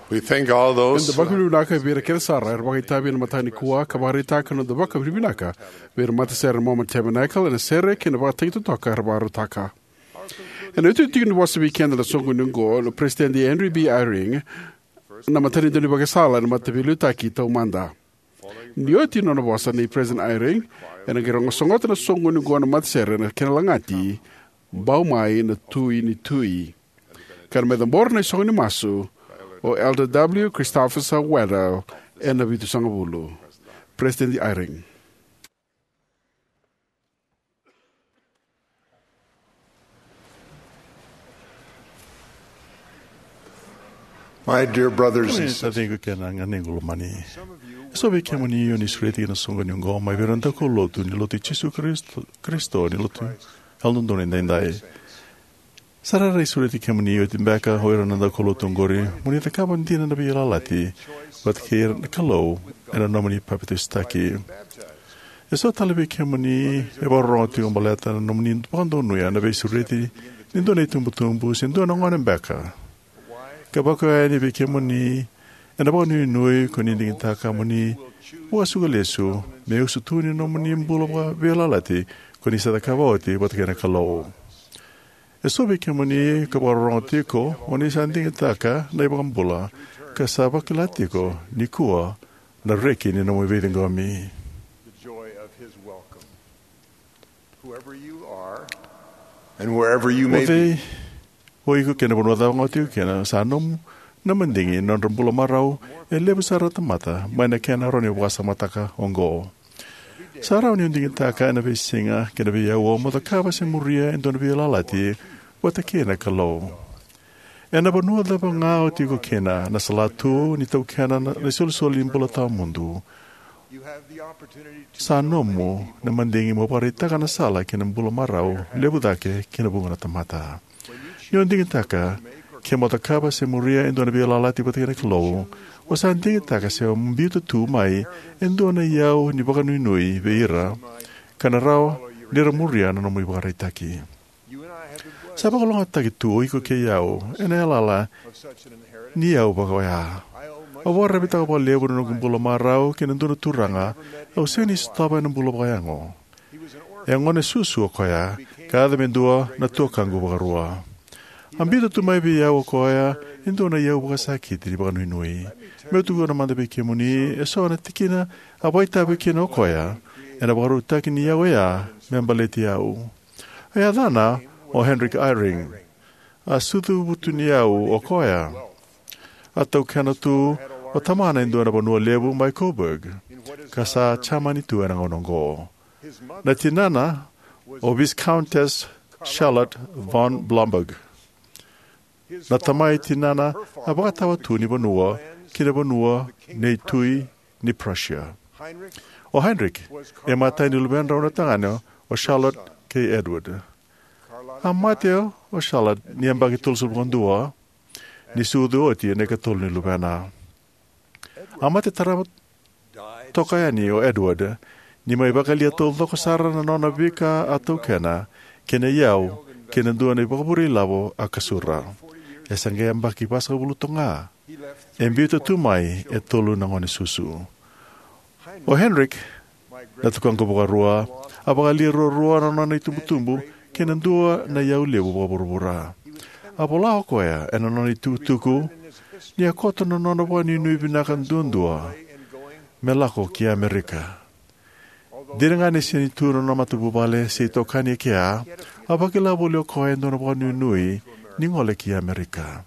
We thank all those. Eda vakavinavinaka vei ira kece sara era vakaitavi ena mataka nikua ka vakaraitaka na noda vakavinavinaka vei ira matasere na Mormon Tabernacle ena sere kei na vakatagi totoka era vakarautaka. Ena iotioti ni vosa vei keda na soqoni oqo na Peresitedi Henry B. Eyring, na matanitu ni vakasala ena Mataveiliutaki Taumada. Ni oti na nona vosa nei Peresitedi Eyring, ena qai rogo sogota na soqoni oqo na matasere ena kena lagati, Bau Mai na Tui ni Tui. Ka na mai cabora na isogo ni masu o Elder W. Christopherson Waddell ena vitusagavulu. Peresitedi Eyring. My dear brothers and sisters, taciqu kei na ganequ lomani, e so vei kemuni o ni sureti ki na soqoni oqo mai vei ira na daukaulotu ni Lotu i Jisu Karisito, Karisito ni Lotu Yalododonu Edaidai. Sa ra rairai sureti kemuni oti beka o ira na daukaulotu oqori mo ni cakava dina na veiyalayalati vata kei ira na Kalou ena nomuni papitaisotaki. E so tale vei kemuni e vakarorogo tiko baleta na nomuni vakadonuya na veisureti ni dua na itubutubu se dua na gone beka. Ka vaka yani vei kemuni ena vakanuinui ko ni digitaka mo ni vakasuka lesu me usutu ni nomuni bula vakaveiyalayalati ko ni sa cakava oti vata kei na Kalou. E so vei kemuni ka vakarorogo tiko o ni sa digitaka na iVakabula ka sa vakila tiko nikua na reki ni nomu veiciqomi. The joy of his welcome. Whoever you are, and wherever you may be. O cei o iko kei na vanua cava ga o tiko kina, sa nomu na madigi na nodra bula marau e levu sara na tamata mai na kena rawa ni vakasamataka oqo. Sa rawa ni o digitaka ena veisiga kei na veiaua mo cakava se muria e dua na veiyalayalati vata kei na Kalou. Ena vanua cava ga o tiko kina, na salatu ni taukena na isolisoli ni bula tawamudu, sa nomu na madigi mo vakaraitaka na sala ki na bula marau levu cake ki na vuqa na tamata. Ni o digitaka ke mo cakava se muria e dua na veiyalayalati vata kei na Kalou, o sa digitaka se o biuta tu mai e dua na iyau ni vakanuinui vei ira ka na rawa ni ra muria na nomu ivakaraitaki. Sa vakalougatataki tu o iko kei au ena yalayala ni iyau vaka oya. Au vakararavitaka vakalevu na noqu bula marau ki na dua na turaga au sega ni sotava ena bula vakayago. E gone susu o koya ka yaco me dua na tuakaqu vakarua. A biuta tu mai vei au o koya e dua na iyau vakasakiti ni vakanuinui. Meu tukuna mada vei kemuni e so na tikina a vakaitavi kina o koya ena vakarautaki ni iyau oya me baleti au. A yacana o Henrik Eyring. A sucu vutuniyau o koya. A taukena tu o tamana e dua na vanua levu mai Coburg, ka sa Jamani tu ena gauna oqo. Na tinana o Viscountess Charlotte von Blomberg. Na tamai tinana a vakatawa tu ni vanua ki na vanua nei Tui ni Prussia. O Heinrich e matai ni luvedrau na tagane o Charlotte kei Edward. A mate o Charlotte ni yabaki tolusagavulu ka dua, ni sucu oti na ikatolu ni luvena. A mate tarava toka yani o Edward ni mai vakayalia taucoko sara na nona veika a taukena kei na iyau kei na dua na ivakavure ilavo a kasura. E sa qai yabaki vasagavulu toka ga. E biuta tu mai e tolu na gone susu. O Heinrich, na tukaqu vakarua, a vakayalia ruarua na nona itubutubu kei na dua na iyau levu vakavuravura. A vola o koya ena nona itukutuku ni a koto na nona vakanuinui vinaka duadua me lako ki Amerika. Dina ga ni sega ni tu na nona matavuvale se itokani e kea, a vakila voli o koya e dua na vakanuinui ni gole ki Amerika.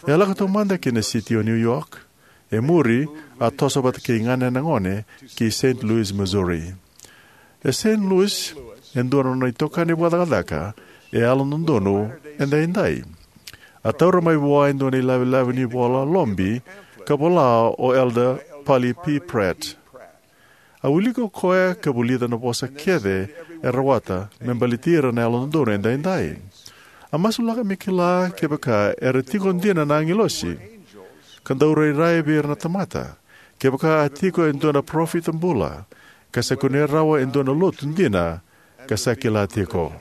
E a lako taumada ki na siti o New York. E muri, a toso vata kei ganena gone ki Saint Louis, Missouri. E Saint Louis e dua na nona itokani vakacakacaka e Yalododonu Edaidai. A taura mai vua e dua na ilavelave ni vola lobi ka vola o Elder Parley P. Pratt. A wilika o koya ka vulica na vosa kece e rawata me baleti ira na Yalododonu Edaidai. A masulaka me kila kevaka era tiko dina na agilosi ka dau rairai vei ira na tamata, kevaka a tiko e dua na parofita bula ka sa kunea rawa e dua na lotu dina ka sa kila tiko.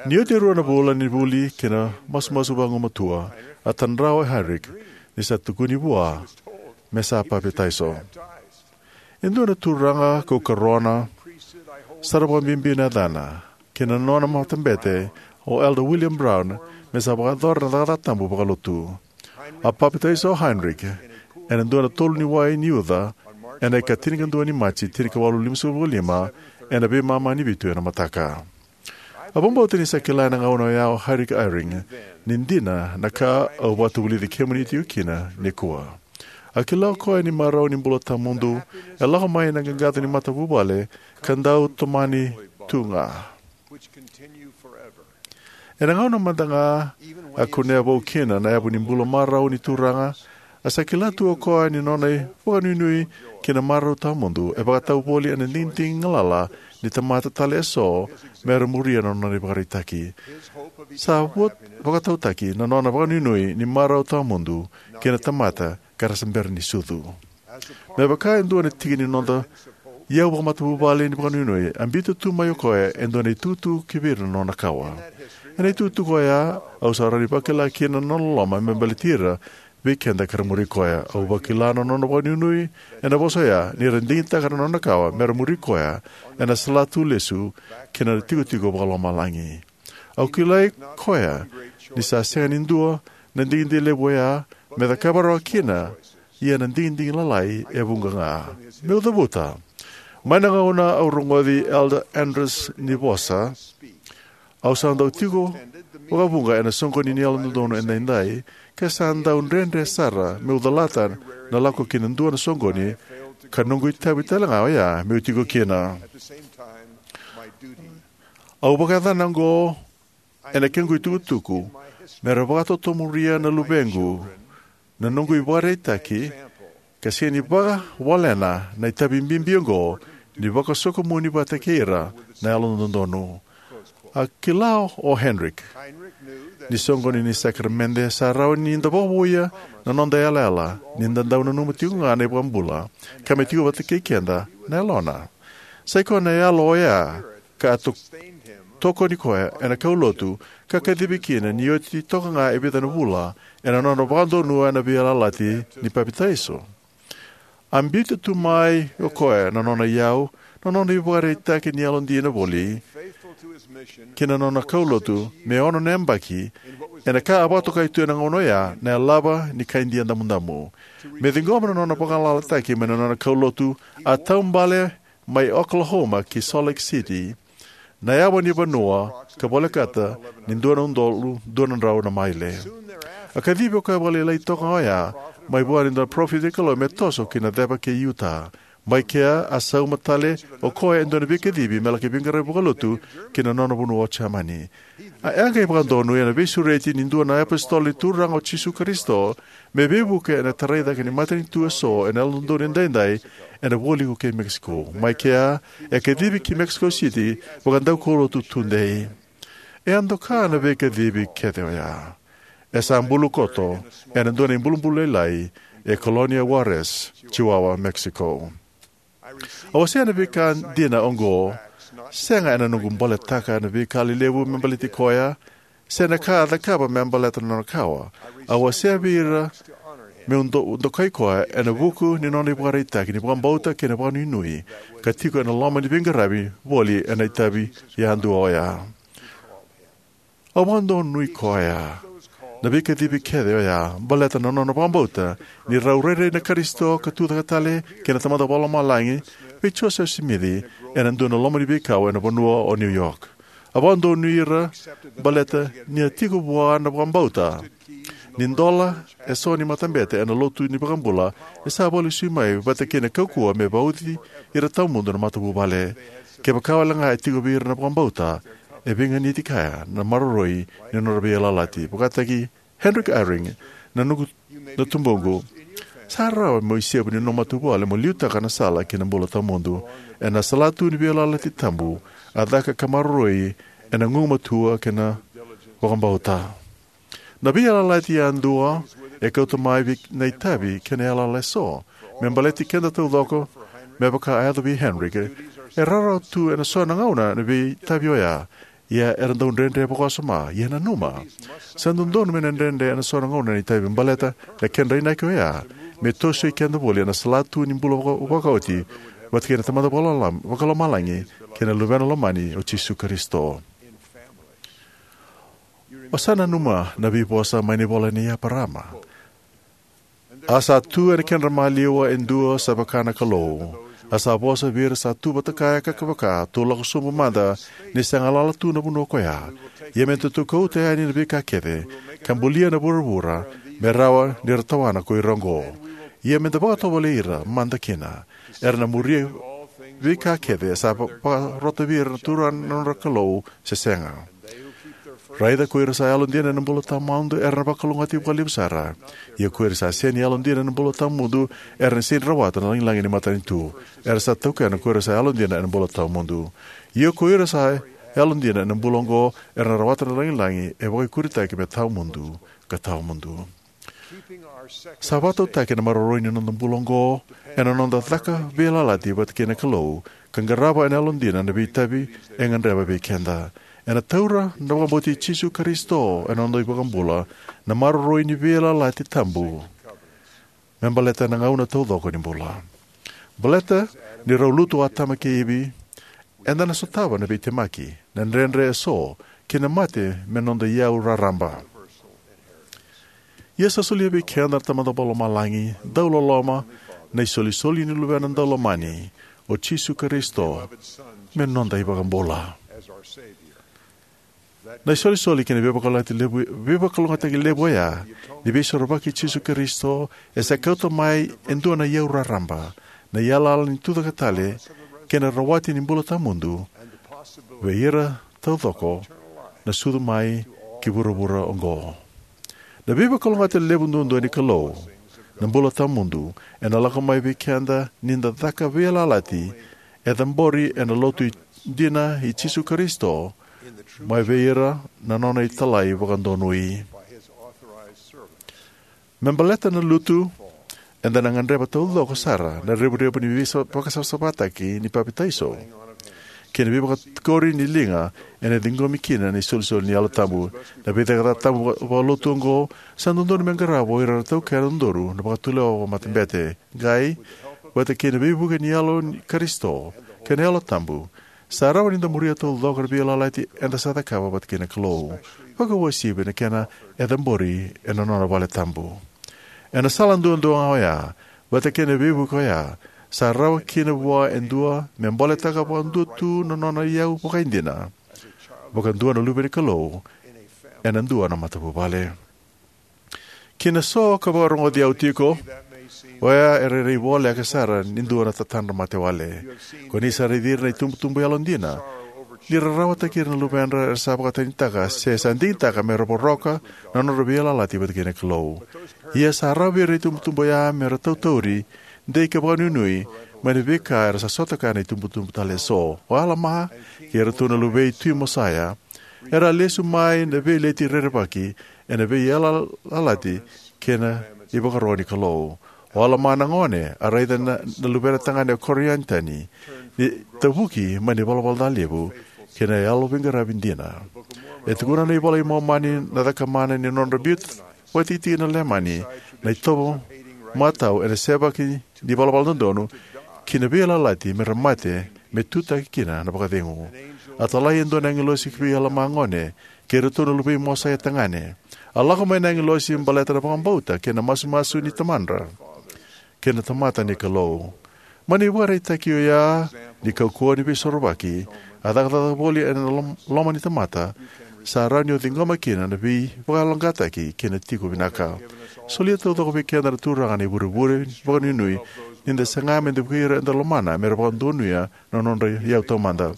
Ni oti e rua na vula ni vuli kei na masumasu vagumatua, a tadrava o Heinrich ni sa tukuni vua me sa papitaiso. E dua na turaga kau karona, sara vakabibi na yacana, kei na nona matabete o Elder William Brown, me sa vakayacora na cakacaka tabu vakalotu. A papitaiso o Heinrich ena dua na tolu ni wai ni uca ena ika tinikadua ni Maji tinikawalu limasagavulu ka lima, ena veimama ni vitu ena mataka. A vakabauta ni sa kila ena gauna oya o Heinrich Eyring ni dina na ka au vakatavulici kemuni tiko kina nikua. A kila o koya ni marau ni bula tawamudu e lako mai na qaqaco ni matavuvale ka dau tomani tu ga. Ena gauna mada ga a kunea vou kina na yavu ni bula marau ni Turaga, a sa kila tu o koya ni nona ivakanuinui ki na marau tawamudu e vakatau voli ena digidigi galala ni tamata tale eso me ra muria na nona ivakaraitaki. Sa vua vakatautaki na nona vakanuinui ni marau tawamudu kei na tamata ka ra sa bera ni sucu. Me vaka e dua na tiki ni noda iyau vakamatavuvale ni vakanuinui, a biuta tu mai o koya e dua na itukutuku ki vei ira na nona kawa. Ena itukutuku oya, au sa rawa ni vakila kina na nona loloma me baleti ira vei keda ka ra muri koya. Au vakila na nona vakanuinui ena vosa oya ni ra digitaka na nona kawa me ra muri koya ena salatu lesu ki na tikotiko vakalomalagi. Au kilai koya ni sa sega ni dua na digidigi levu oya me cakava rawa kina, ia na digidigi lalai e vuqa ga. Meu cavuta, mai na gauna au rogoci Elder Andrus ni vosa, au sa dau tiko vakavuqa ena soqoni ni Yalododonu Edaidai, ka sa dau dredre sara meu calata na lako ki na dua na soqoni, ka noqu itavi tale ga oya meu tiko kina. Au vakayacana oqo ena kequ itukutuku me ra vakatotomuria na luvequ na noqu ivakaraitaki, ka sega ni vakawalena na itavi bibi oqo ni vakasokomuni vata kei ira na Yalododonu. A kila o Heinrich ni soqoni ni sakaramede sa rawa ni da vakavouya na noda yalayala ni da dau nanuma tiko ga na iVakabula ka me tiko vata kei keda na Yalona. Sa i koya na Yalo oya ka a to-, tokoni koya ena kaulotu ka kacivi kina ni oti toka ga e vica na vula ena nona vakadonuya na veiyalayalati ni papitaiso. A biuta tu mai o koya na nona iyau, na nona ivakaraitaki ni yalodina voli, kei na nona kaulotu me ono na yabaki, ena ka a vakatokai tu ena gauna oya na yalava ni kai Idia damudamu. Me ciqoma na nona vakagalalataki mai na nona kaulotu, a taubale mai Oklahoma ki Salt Lake City, na yawa ni vanua ka volekata ni dua na udolu dua na drau na maile. A kacivi o koya vakalailai toka oya mai vua ni dua na parofita ni Kalou me toso ki na ceva kei Utah. Mai kea a sauma tale o koya e dua na veikacivi me laki veiqaravi vakalotu ki na nona vanua o Jamani. A qai vakadonuya na veisureti ni dua na iapositolo ni Turaga o Jisu Karisito me veivuke ena tarai cake ni matanitu eso ena Yalododonu Edaidai ena vualiku kei Mexico. Mai kea e kacivi ki Mexico City vakadaukaulotu tudei. E a doka na veikacivi kece oya. E sa bulu koto ena dua na ibulubulu lailai e Colonia Juarez, Chihuahua, Mexico. Au wasea na veika dina oqo, sega ena noqu boletaka na veika lelevu me baleti koya, se na ka a cakava me baleta na nona kawa. Au wasea vei ira meu do-, dokai koya ena vuku ni nona ivakaraitaki ni vakabauta kei na vakanuinui, ka tiko ena loma ni veiqaravi voli ena itavi yadua oya. Au vakadonui koya na veikacivi kece oya baleta na nona vakabauta ni rau rairai na Karisito ka tucake tale kei na Tamada Vakalomalagi vei Joseph Smith ena dua na loma ni veikau ena vanua o New York. A vakadonui ira baleta ni a tiko vua na vakabauta ni dola eso ni matabete ena lotu ni iVakabula e sa vakalesui mai vata kei na kaukauwa me vauci ira tawamudu na matavuvale. Kevaka wale ga e tiko vei ira na vakabauta, e veiganiti kaya na maroroi ni nodra veiyalayalati. Vakataki Heinrich Eyring, na noqu na tubuqu, sa rawa mo isevu ni nomu matavuvale mo liutaka na sala ki na bula tawamudu. Ena salatu ni veiyalayalati tabu a caka ka maroroi ena gugumatua kei na vakabauta. Na veiyalayalati yadua e kauta mai vei na itavi kei na yalayala eso me baleti keda taucoko, me vaka a yaco vei Heinrich. E rawarawa tu ena so na gauna na veitavi oya Ia era dau dredre vakawasoma. Ia nanuma, sa dodonu me na dredre ena so na gauna na itavi baleta na kedra inaki oya me tosoi keda voli ena salatu ni bula vaka- vakaoti vata kei na Tamada Vakalomalagi kei na Luvena Lomani o Jisu Karisito. O sa nanuma na veivosa mai na ivola nei Eparama: A sa tu ena kedra maliwa e dua sa vaka na Kalou, a sa vosa vei ira sa tu vata kaya ka vaka, tou lako sobu mada, ni sa galala tu na vanua koya. Ia me datou kauta yani na veika kece, ka bulia na vuravura, me rawa ni ra tawana ko ira oqo. Ia me da vakatovolei ira mada kina, era na muria veika kece sa va- vakarota vei ira na Turaga na nodra Kalou, se sega. Raica ko ira sa yalodina ena bula tawamudu era na vakalougatataki vakalevu sara. Ia ko ira sa sega ni yalodina ena bula tawamudu era na sega ni rawata na lagilagi ni matanitu. Era sa taukena ko ira sa yalodina ena bula tawamudu. Ia ko ira sa yalodina ena bula oqo era na rawata na lagilagi e vakaikuritaki me tawamudu ka tawamudu. Sa vakatautaki na maroroi ni noda bula oqo ena noda caka veiyalayalati vata kei na Kalou ka qarava ena yalodina na veitavi e gadreva vei keda. Ena taura na vakabauti Jisu Karisito ena noda iVakabula na maroroi ni veiyalayalati tabu me baleta na gauna taucoko ni bula. Baleta ni rau lutu o Atama kei Ivi, eda na sotava na veitemaki, na dredre eso, kei na mate me noda iyau raraba. Ia sa solia vei keda na Tamada Vakalomalagi dauloloma na isolisoli ni Luvena Daulomani, o Jisu Karisito, me noda iVakabula. Na isolisoli kei na veivakalougatataki levu, veivakalougatataki levu oya ni Veisorovaki i Jisu Karisito e sa kauta mai e dua na iyau raraba, na yalayala ni tucake tale kei na rawati ni bula tawamudu vei ira taucoko na sucu mai ki vuravura oqo. Na veivakalougatataki levu duadua ni Kalou, na bula tawamudu, ena lako mai vei keda ni da caka veiyalayalati e cabori ena Lotu dina i Jisu Karisito mai vei ira na nona italai vakadonui. Me baleta na lutu, eda na gadreva taucoko sara na revurevu ni veivakasavasavataki ni papitaiso kei na veivakatikori ni liga ena ciqomi kina na isolisoli ni Yalo Tabu. Na veicakacaka tabu vakalotu oqo sa dodonu me qarava o ira era taukena dodonu na vakatulewa vakamatabete, qai vata kei na veivuke ni Yalo ni Karisito kei na Yalo Tabu, sa rawa ni da muria taucoko na veiyalayalati eda sa cakava vata kei na Kalou, vakauasivi na kena e cabori ena nona vale tabu. Ena sala duadua ga oya, vata kei na veivuke oya, sa rawa kina vua e dua me boletaka vakadua tu na nona iyau vakaidina, vakadua na luve ni Kalou, ena dua na matavuvale. Ki na so ka vakarogoci au tiko, oya e rairai voleka sara ni dua na tatadra mate wale. Ko ni sa raici ira na itubutubu yalodina ni ra rawataki ira na luvedra era sa vakatanitaka se sa digitaka me ra voroka na nodra veiyalayalati vata kei na Kalou. Ia sa rawa vei ira na itubutubu oya me ra tautauri, dei ka vakanuinui mai na veika era sa sota kaya na itubutubu tale eso. O Alama kei iratou na luvei Tui Mosese era a lesu mai na veileti rerevaki ena veiyalayalati kei na ivakaro ni Kalou. O Alama na gone a raica na, na luvena tagane o Korianitoni ni tavuki mai na ivalavala ca levu kei na yalo veiqaravi dina. E tukuna na iVola i Momani na cakamana ni nodra biu vakatikitiki na Leimani na itovo matau ena sevaki ni valavala dodonu ki na veiyalayalati me ra mate me tutaki kina na vakacegu. A talai e dua na agilosi ki vei Alama gone kei iratou na luvei Mosese tagane. A lako mai na agilosi baleta na vakabauta kei na masumasu ni tamadra kei na tamata ni Kalou. Mai na ivakaraitaki oya ni kaukauwa ni Veisorovaki a cakacaka voli ena lom- loma ni tamata, sa rawa ni o ciqoma kina na veivakayaloqaqataki kei na tiko vinaka. Solia taucoko vei keda na Turaga na ivurevure vakanuinui ni da saga me da vukei ira eda lomana me ra vakadonuya na nodra iyau taumada.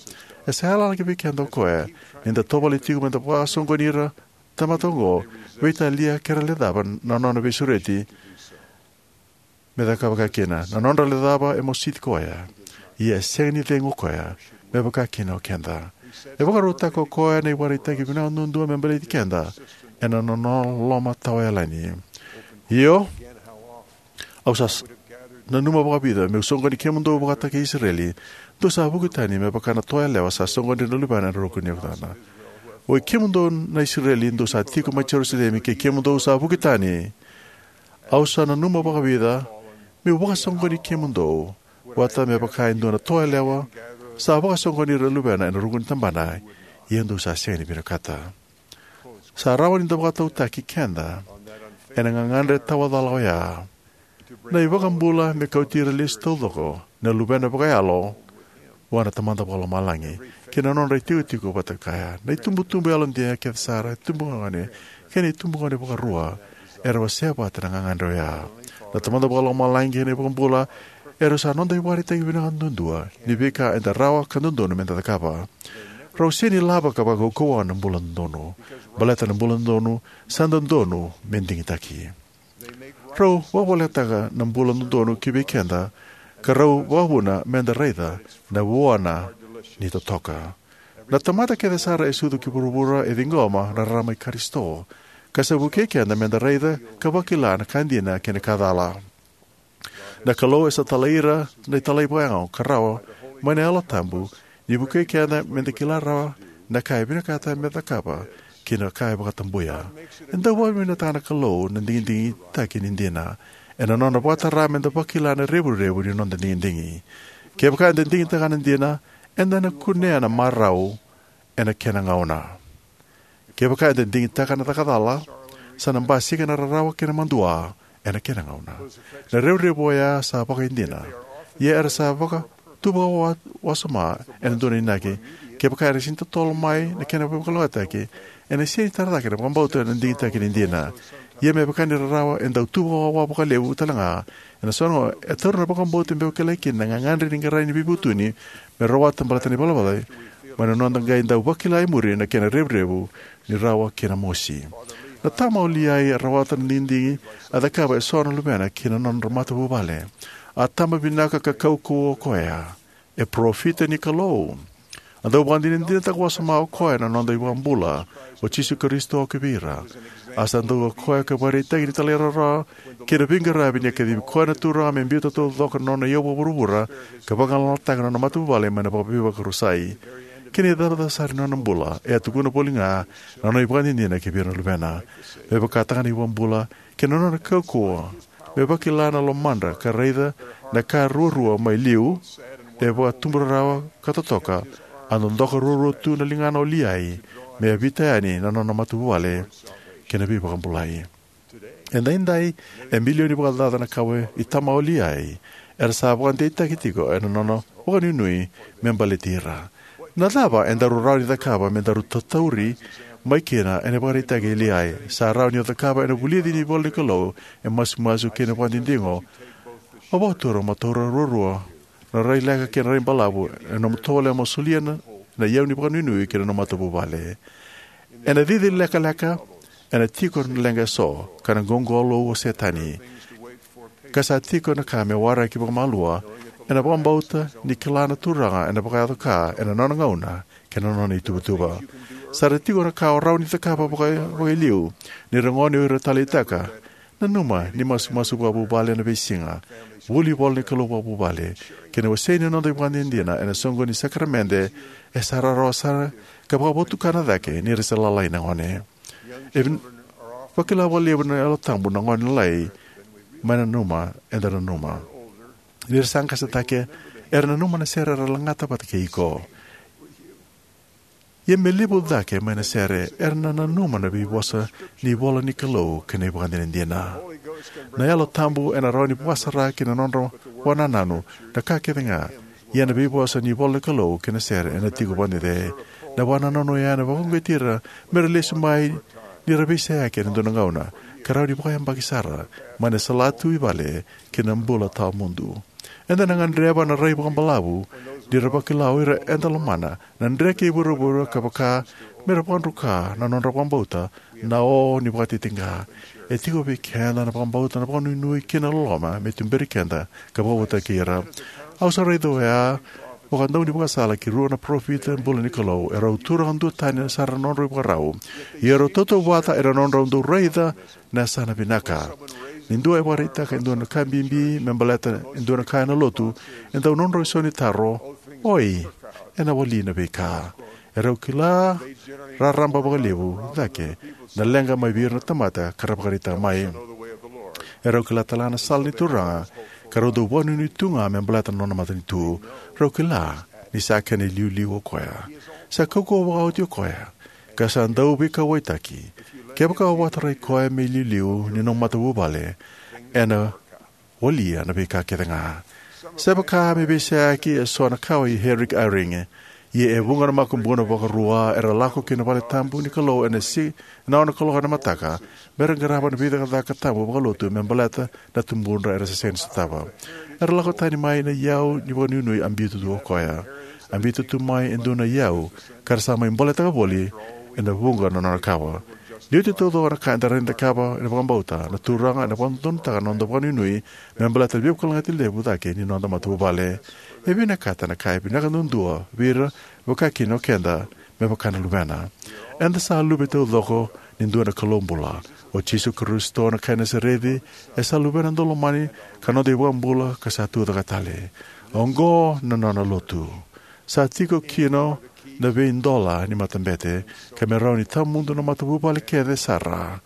E sa yalayala ki vei keda o koya ni da tovolea tiko me da vakasoqoni ira tamata oqo, veitalia ke ra lecava na nona veisureti me cakava kina. Na nodra lecava e mositi koya, ia e sega ni cegu o koya me vaka kina o keda. E vakarautaka o koya na ivakaraitaki vinaka duadua me baleti keda ena nona loloma tawayalani. Io, au sa s- nanuma vakavica meu soqoni kemudou vakataki Isireli, dou sa vuki tani me vaka na toa yalewa sa soqoni ira na luvena ena ruku ni yavana. Oi kemudou na Isireli, dou sa tiko mai Jerusalemi, kei kemudou sa vuki tani, au sa nanuma vakavica me'u vakasoqoni kemudou, vata me vaka e dua na toa yalewa sa vakasoqoni ira na luvena ena ruku ni tabana, ia dou sa sega ni vinakata. Sa rawa ni da vakatautaki keda ena gagadre tawacala oya, na iVakabula me kauti ira lesu taucoko na luvena vakayalo vua na Tamada Vakalomalagi kei na nodra itikotiko vata kaya. Na itubutubu yalodina kece sara, itubugone kei na itubugone vakarua, era wasea vata na gagadre oya. Na Tamada Vakalomalagi kei na iVakabula erau sa noda ivakaraitaki vinaka duadua ni veika eda rawa ka dodonu meda cakava. Rau sega ni lava ka vakaukauwa na bula dodonu, baleta na bula dodonu sa dodonu me digitaki. Rau vakavolekataka na bula dodonu ki vei keda, ka rau vakavuna meda raica na vuana ni totoka. Na tamata kece sara e sucu ki vuravura e ciqoma na rarama i Karisito, ka sa vukei keda meda raica ka vakila na ka dina kei na ka cala. Na Kalou e sa talai ira na italai vakayago ka rawa mai na Yalo Tabu, ni vukei keda meda kila rawa na ka e vinakata meda cakava kei na ka e vakatabuya. E dau vakavinavinakataka na Kalou na digidigi ni dina ena nona vakatara meda vakila na revurevu ni noda digidigi. Kevaka eda digitaka na dina, eda na kunea na marau ena kena gauna. Kevaka eda digitaka na caka cala, sa na basika na rarawa kei na madua ena kena gauna. Na revurevu oya sa vakaidina, ia era sa vakatuvawasoma ena dua na inaki. Kevaka era sega ni totolo mai na kena vakalougatataki, ena sega ni tara cake na vakabauta na digitaki ni dina. Ia me vaka ni rarawa e dau tuvawawa vakalevu tale ga, ena so na gauna e taura na vakabauta me vakilai kina na gagadre ni qarai ni veivutuni me rawata baleta na ivalavala ca, mai na noda qai dau vakila e muri na kena revurevu ni rawa kei na mosi. Na tama o Liai a rawata na digidigi a cakava e so na luvena kei na nodra matavuvale. A tama vinaka ka kaukauwa o koya. E parofita ni Kalou. A dau vakadinadinataka wasoma o koya na noda iVakabula, o Jisu Karisito, ki vei ira. A sa dau o koya ka vakaraitaki ni talairawarawa kei na veiqaravi ni a kacivi koya na Turaga me biuta taucoko na nona iyau vakavuravura ka vagalalataka na nona matavuvale mai na vakaveivakarusai. Kei na icavacava sara ni nona bula, e a tukuna voli ga na nona ivakadinadina ki vei ira na luvena. Me vakataka na iVakabula kei na nona kaukauwa me vakila na lomadra ka raica na ka ruarua mai liu, e vakatubu rarawa ka totoka, a dodoka ruarua tu na ligana o Liai me yavita yani na nona matavuvale kei na veivakabulai. Edaidai, e milioni vakacaca na kawa i tama o Liai era sa vakadeitaki tiko ena nona vakanuinui me baleti ira. Na cava e daru rawa ni cakava me daru tatauri mai kina ena ivakaraitaki i Liai? Sa rawa ni o cakava ena vulici ni ivola ni Kalou, e masumasu kei na vakadinadigo. Au vakatura mo taura ruarua na rai leka kei na rai balavu ena nomu tovolea mo solia na, na iyau ni vakanuinui ki na nomu matavuvale. Ena cici lekaleka, ena tiko na leqa eso, ka na qoqolou o Setani. Ka sa tiko na ka me waraki vakamalua, ena vakabauta ni kila na Turaga ena vakayaco ka ena nona gauna kei na nona ituvatuva. Sa ra tiko na ka o rawa ni cakava vaka, vakailiu, ni ra gone o ira taleitaka. Nanuma ni masumasu vakavuvale ena veisiga, vuli ivola ni Kalou vakavuvale, kei na wasei ni noda ivakadinadina ena soqo ni sakaramede, e sa rawarawa sara ka vakavotukana cake ni ra se lalai na gone. E vin-, vakila vakalevu na Yalo Tabu na gone lalai mai na nanuma eda nanuma. Ni ra sa qase cake, era nanuma na sere era lagata vata kei iko. Ia me levu cake mai na sere, era na nanuma na veivosa ni ivola ni Kalou kei na ivakadinadina. Na Yalo Tabu ena rawa ni vakasara ki na nodra vakanananu na ka kece ga, ia na veivosa ni ivola ni Kalou kei na sere ena tiko vakadede. Na vakanananu oya ena vakauqeti ira me ra lesu mai ni ra veiseyaki ena dua na gauna, ka rawa ni vakayabaki sara mai na salatu i vale ki na bula tawamudu. Eda na gadreva na rai vakabalavu ni ra vakila o ira eda lomana na dreke i vuravura ka vaka me ra vakadruka na nodra vakabauta na o ni vakatitiqa. E tiko vei keda na vakabauta, na vakanuinui kei na loloma me tuberi keda ka vakavotaki ira. Au sa raica oya vakadaunivakasala ki rua na parofita bula ni Kalou. Erau turaga duatani sara na nodrau ivakarau, ia erau tautauvata ena nodrau dau raica na yasana vinaka. Ni dua e vakaraitaka e dua na ka bibi me baleta e dua na ka ena lotu, e dau nodrau isau ni taro: "Oi, ena wali na veika?" Erau kila raraba vakalevu cake na leqa mai vei ira na tamata ka ra vakaraitaka mai. Erau kila talega na sala ni Turaga, ka rau dau vakanuinui tu ga me baleta na nona matanitu. Rau kila ni sa kena iliuliu o koya. Sa kaukauwa vakaoti o koya, ka sa dau veikauwaitaki. Kevaka o vakatarai koya me iliuliu ni nomu matavuvale, ena walia na veika kece ga. Sa vaka me veiseyaki eso na kawa i Heinrich Eyring. Ia e vuqa na makubuna vakarua era lako ki na vale tabu ni Kalou ena si, ena ono na kaloko ena mataka, me ra qarava na veicakacaka tabu vakalotu me baleta na tubudra era se sega ni sotava. Era lako tani mai na iyau ni vakanuinui a biuta tu o koya. A biuta tu mai e dua na iyau, ka ra sa mai boletaka voli ena vuqa na nona kawa. Ni oti taucoko na ka eda rawa ni cakava ena vakabauta, na Turaga ena vakadodonutaka na noda vakanuinui me baleta na veivakalougatataki levu cake ni noda matavuvale. E vinakata na ka e vinaka duadua vei ira, vaka kina o keda, me vaka na Luvena. Eda sa luve taucoko ni dua na Kalou bula. O Jisu Karisito na kai Nasareci, e sa Luvena daulomani ka noda iVakabula ka sa tucake tale. Oqo na nona lotu. Sa tiko kina na veidola ni matabete, ka me rawa ni tawamudu na matavuvale kece sara.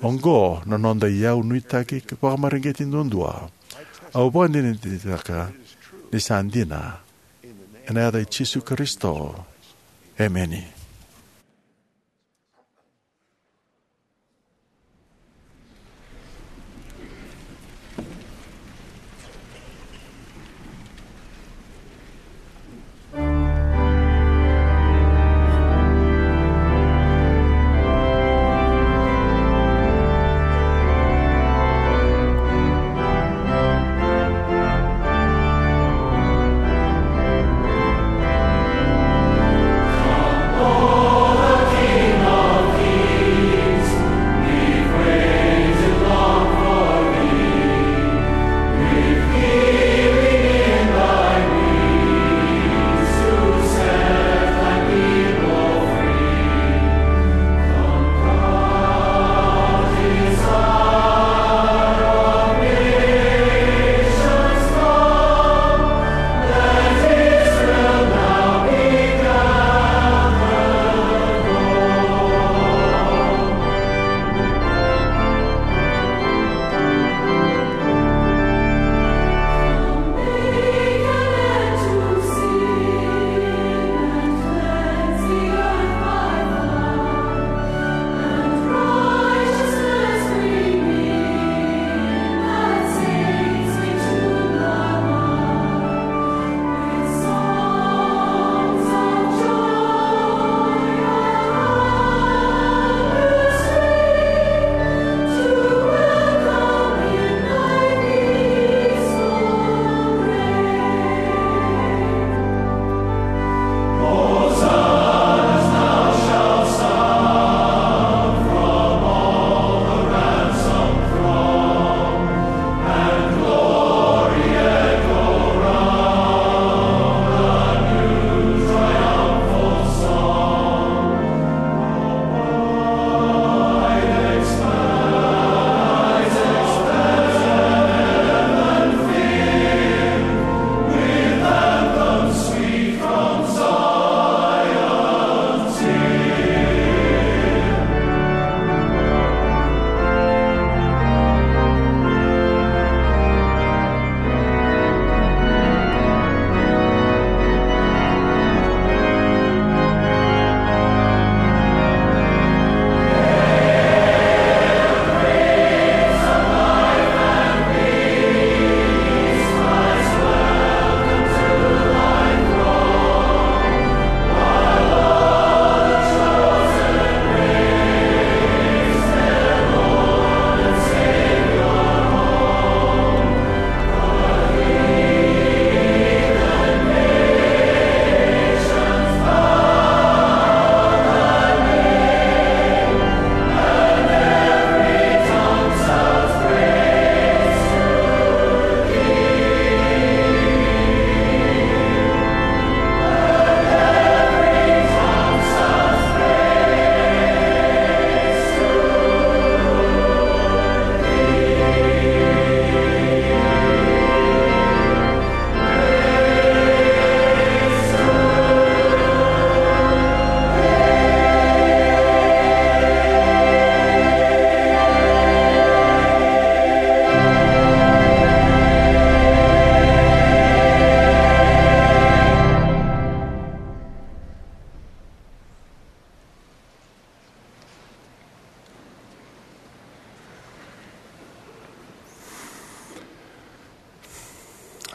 Oqo na noda iyau nuitaki vakamareqeti duadua. Au vakadinadinataka ni sa dina. Ena yaca i Jisu Karisito. Emeni.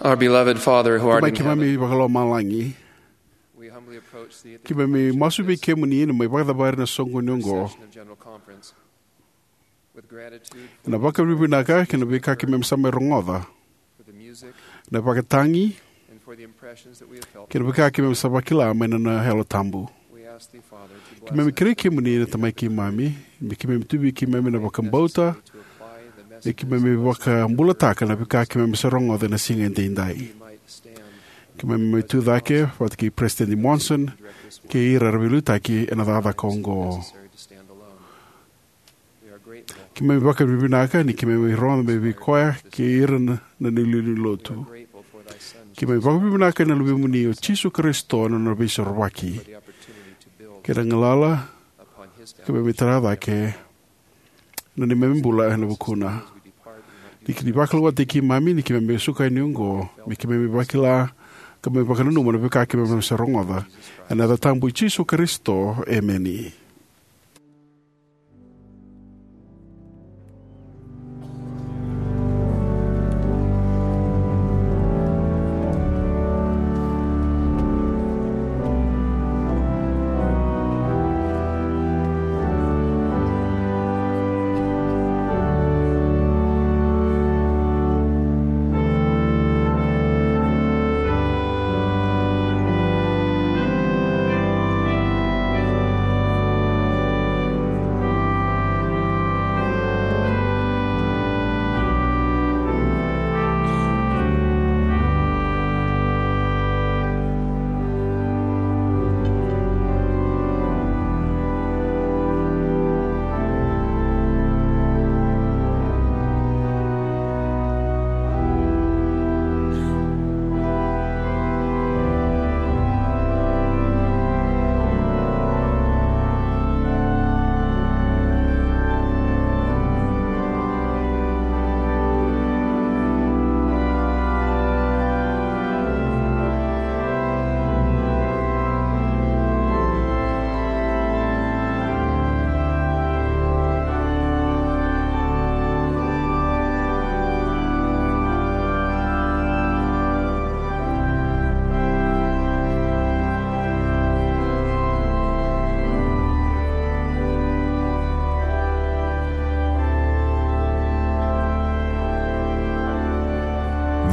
Our beloved Father who art Tamai in heaven, keimami vakalomalagi, we humbly approach thee at the keimami masu vei kemuni na mai vakacavari na soqoni oqo. Session of General Conference with gratitude for Ena vakavinavinaka kei na veika keimami sa mai rogoca, for the music na vakatagi, and for the impressions that we have felt kei na veika keimami sa vakila mai na, na Yalo Tabu. We ask thee, Father, to bless Keimami kerei kemuni na Tamai keimami, me keimami tu vei keimami na vakabauta, me keimami vakabulataka na veika keimami sa rogoca ena siga edaidai. Keimami mai tu cake vata kei President Monson kei ira era veiliutaki ena cakacaka oqo. Keimami vakavinavinaka ni keimami rogoca mai vei koya kei ira na, na iliuliu ni lotu. Keimami vakavinavinaka ena Luvemuni o Jisu Karisito na nona veisorovaki kei na galala keimami tara cake na neimami bula ena vukuna. Ni keimami vakalougatataki keimami ni keimami suka yani oqo, me keimami vakila ka me vakananuma na veika keimami sa rogoca. Ena yaca tabu i Jisu Karisito, emeni.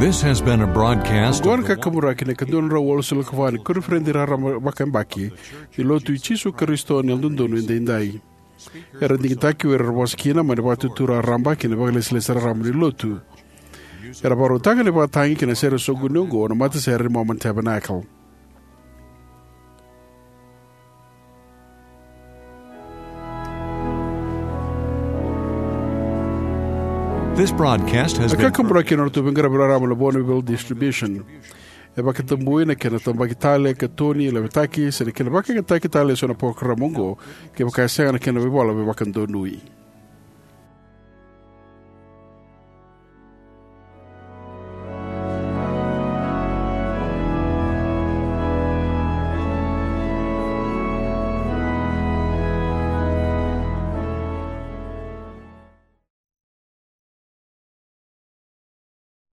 This has been a broadcast Oqo na kakaburaki ni ka dua na drau walusagavulu ka va ni koniferedi raraba vakayabaki ni Lotu i Jisu Karisito ni Yalododonu Edaidai. Era digitaki o ira era vosa kina mai na Vakaitutu Raraba kei na Vakalesilesi Raraba ni Lotu. Era vakarautaka na ivakatagi kei na sere soqoni oqo na matasere ni Mormon Tabernacle. This broadcast has A been kakaburaki na nodratou veiqaravi raraba na Bonneville Distribution. E vakatabui na kena tabaki tale, katoni, lavetaki se na kena vakayagataki tale eso na parokaramu oqo, kevaka e sega na kena veivola veivakadonui.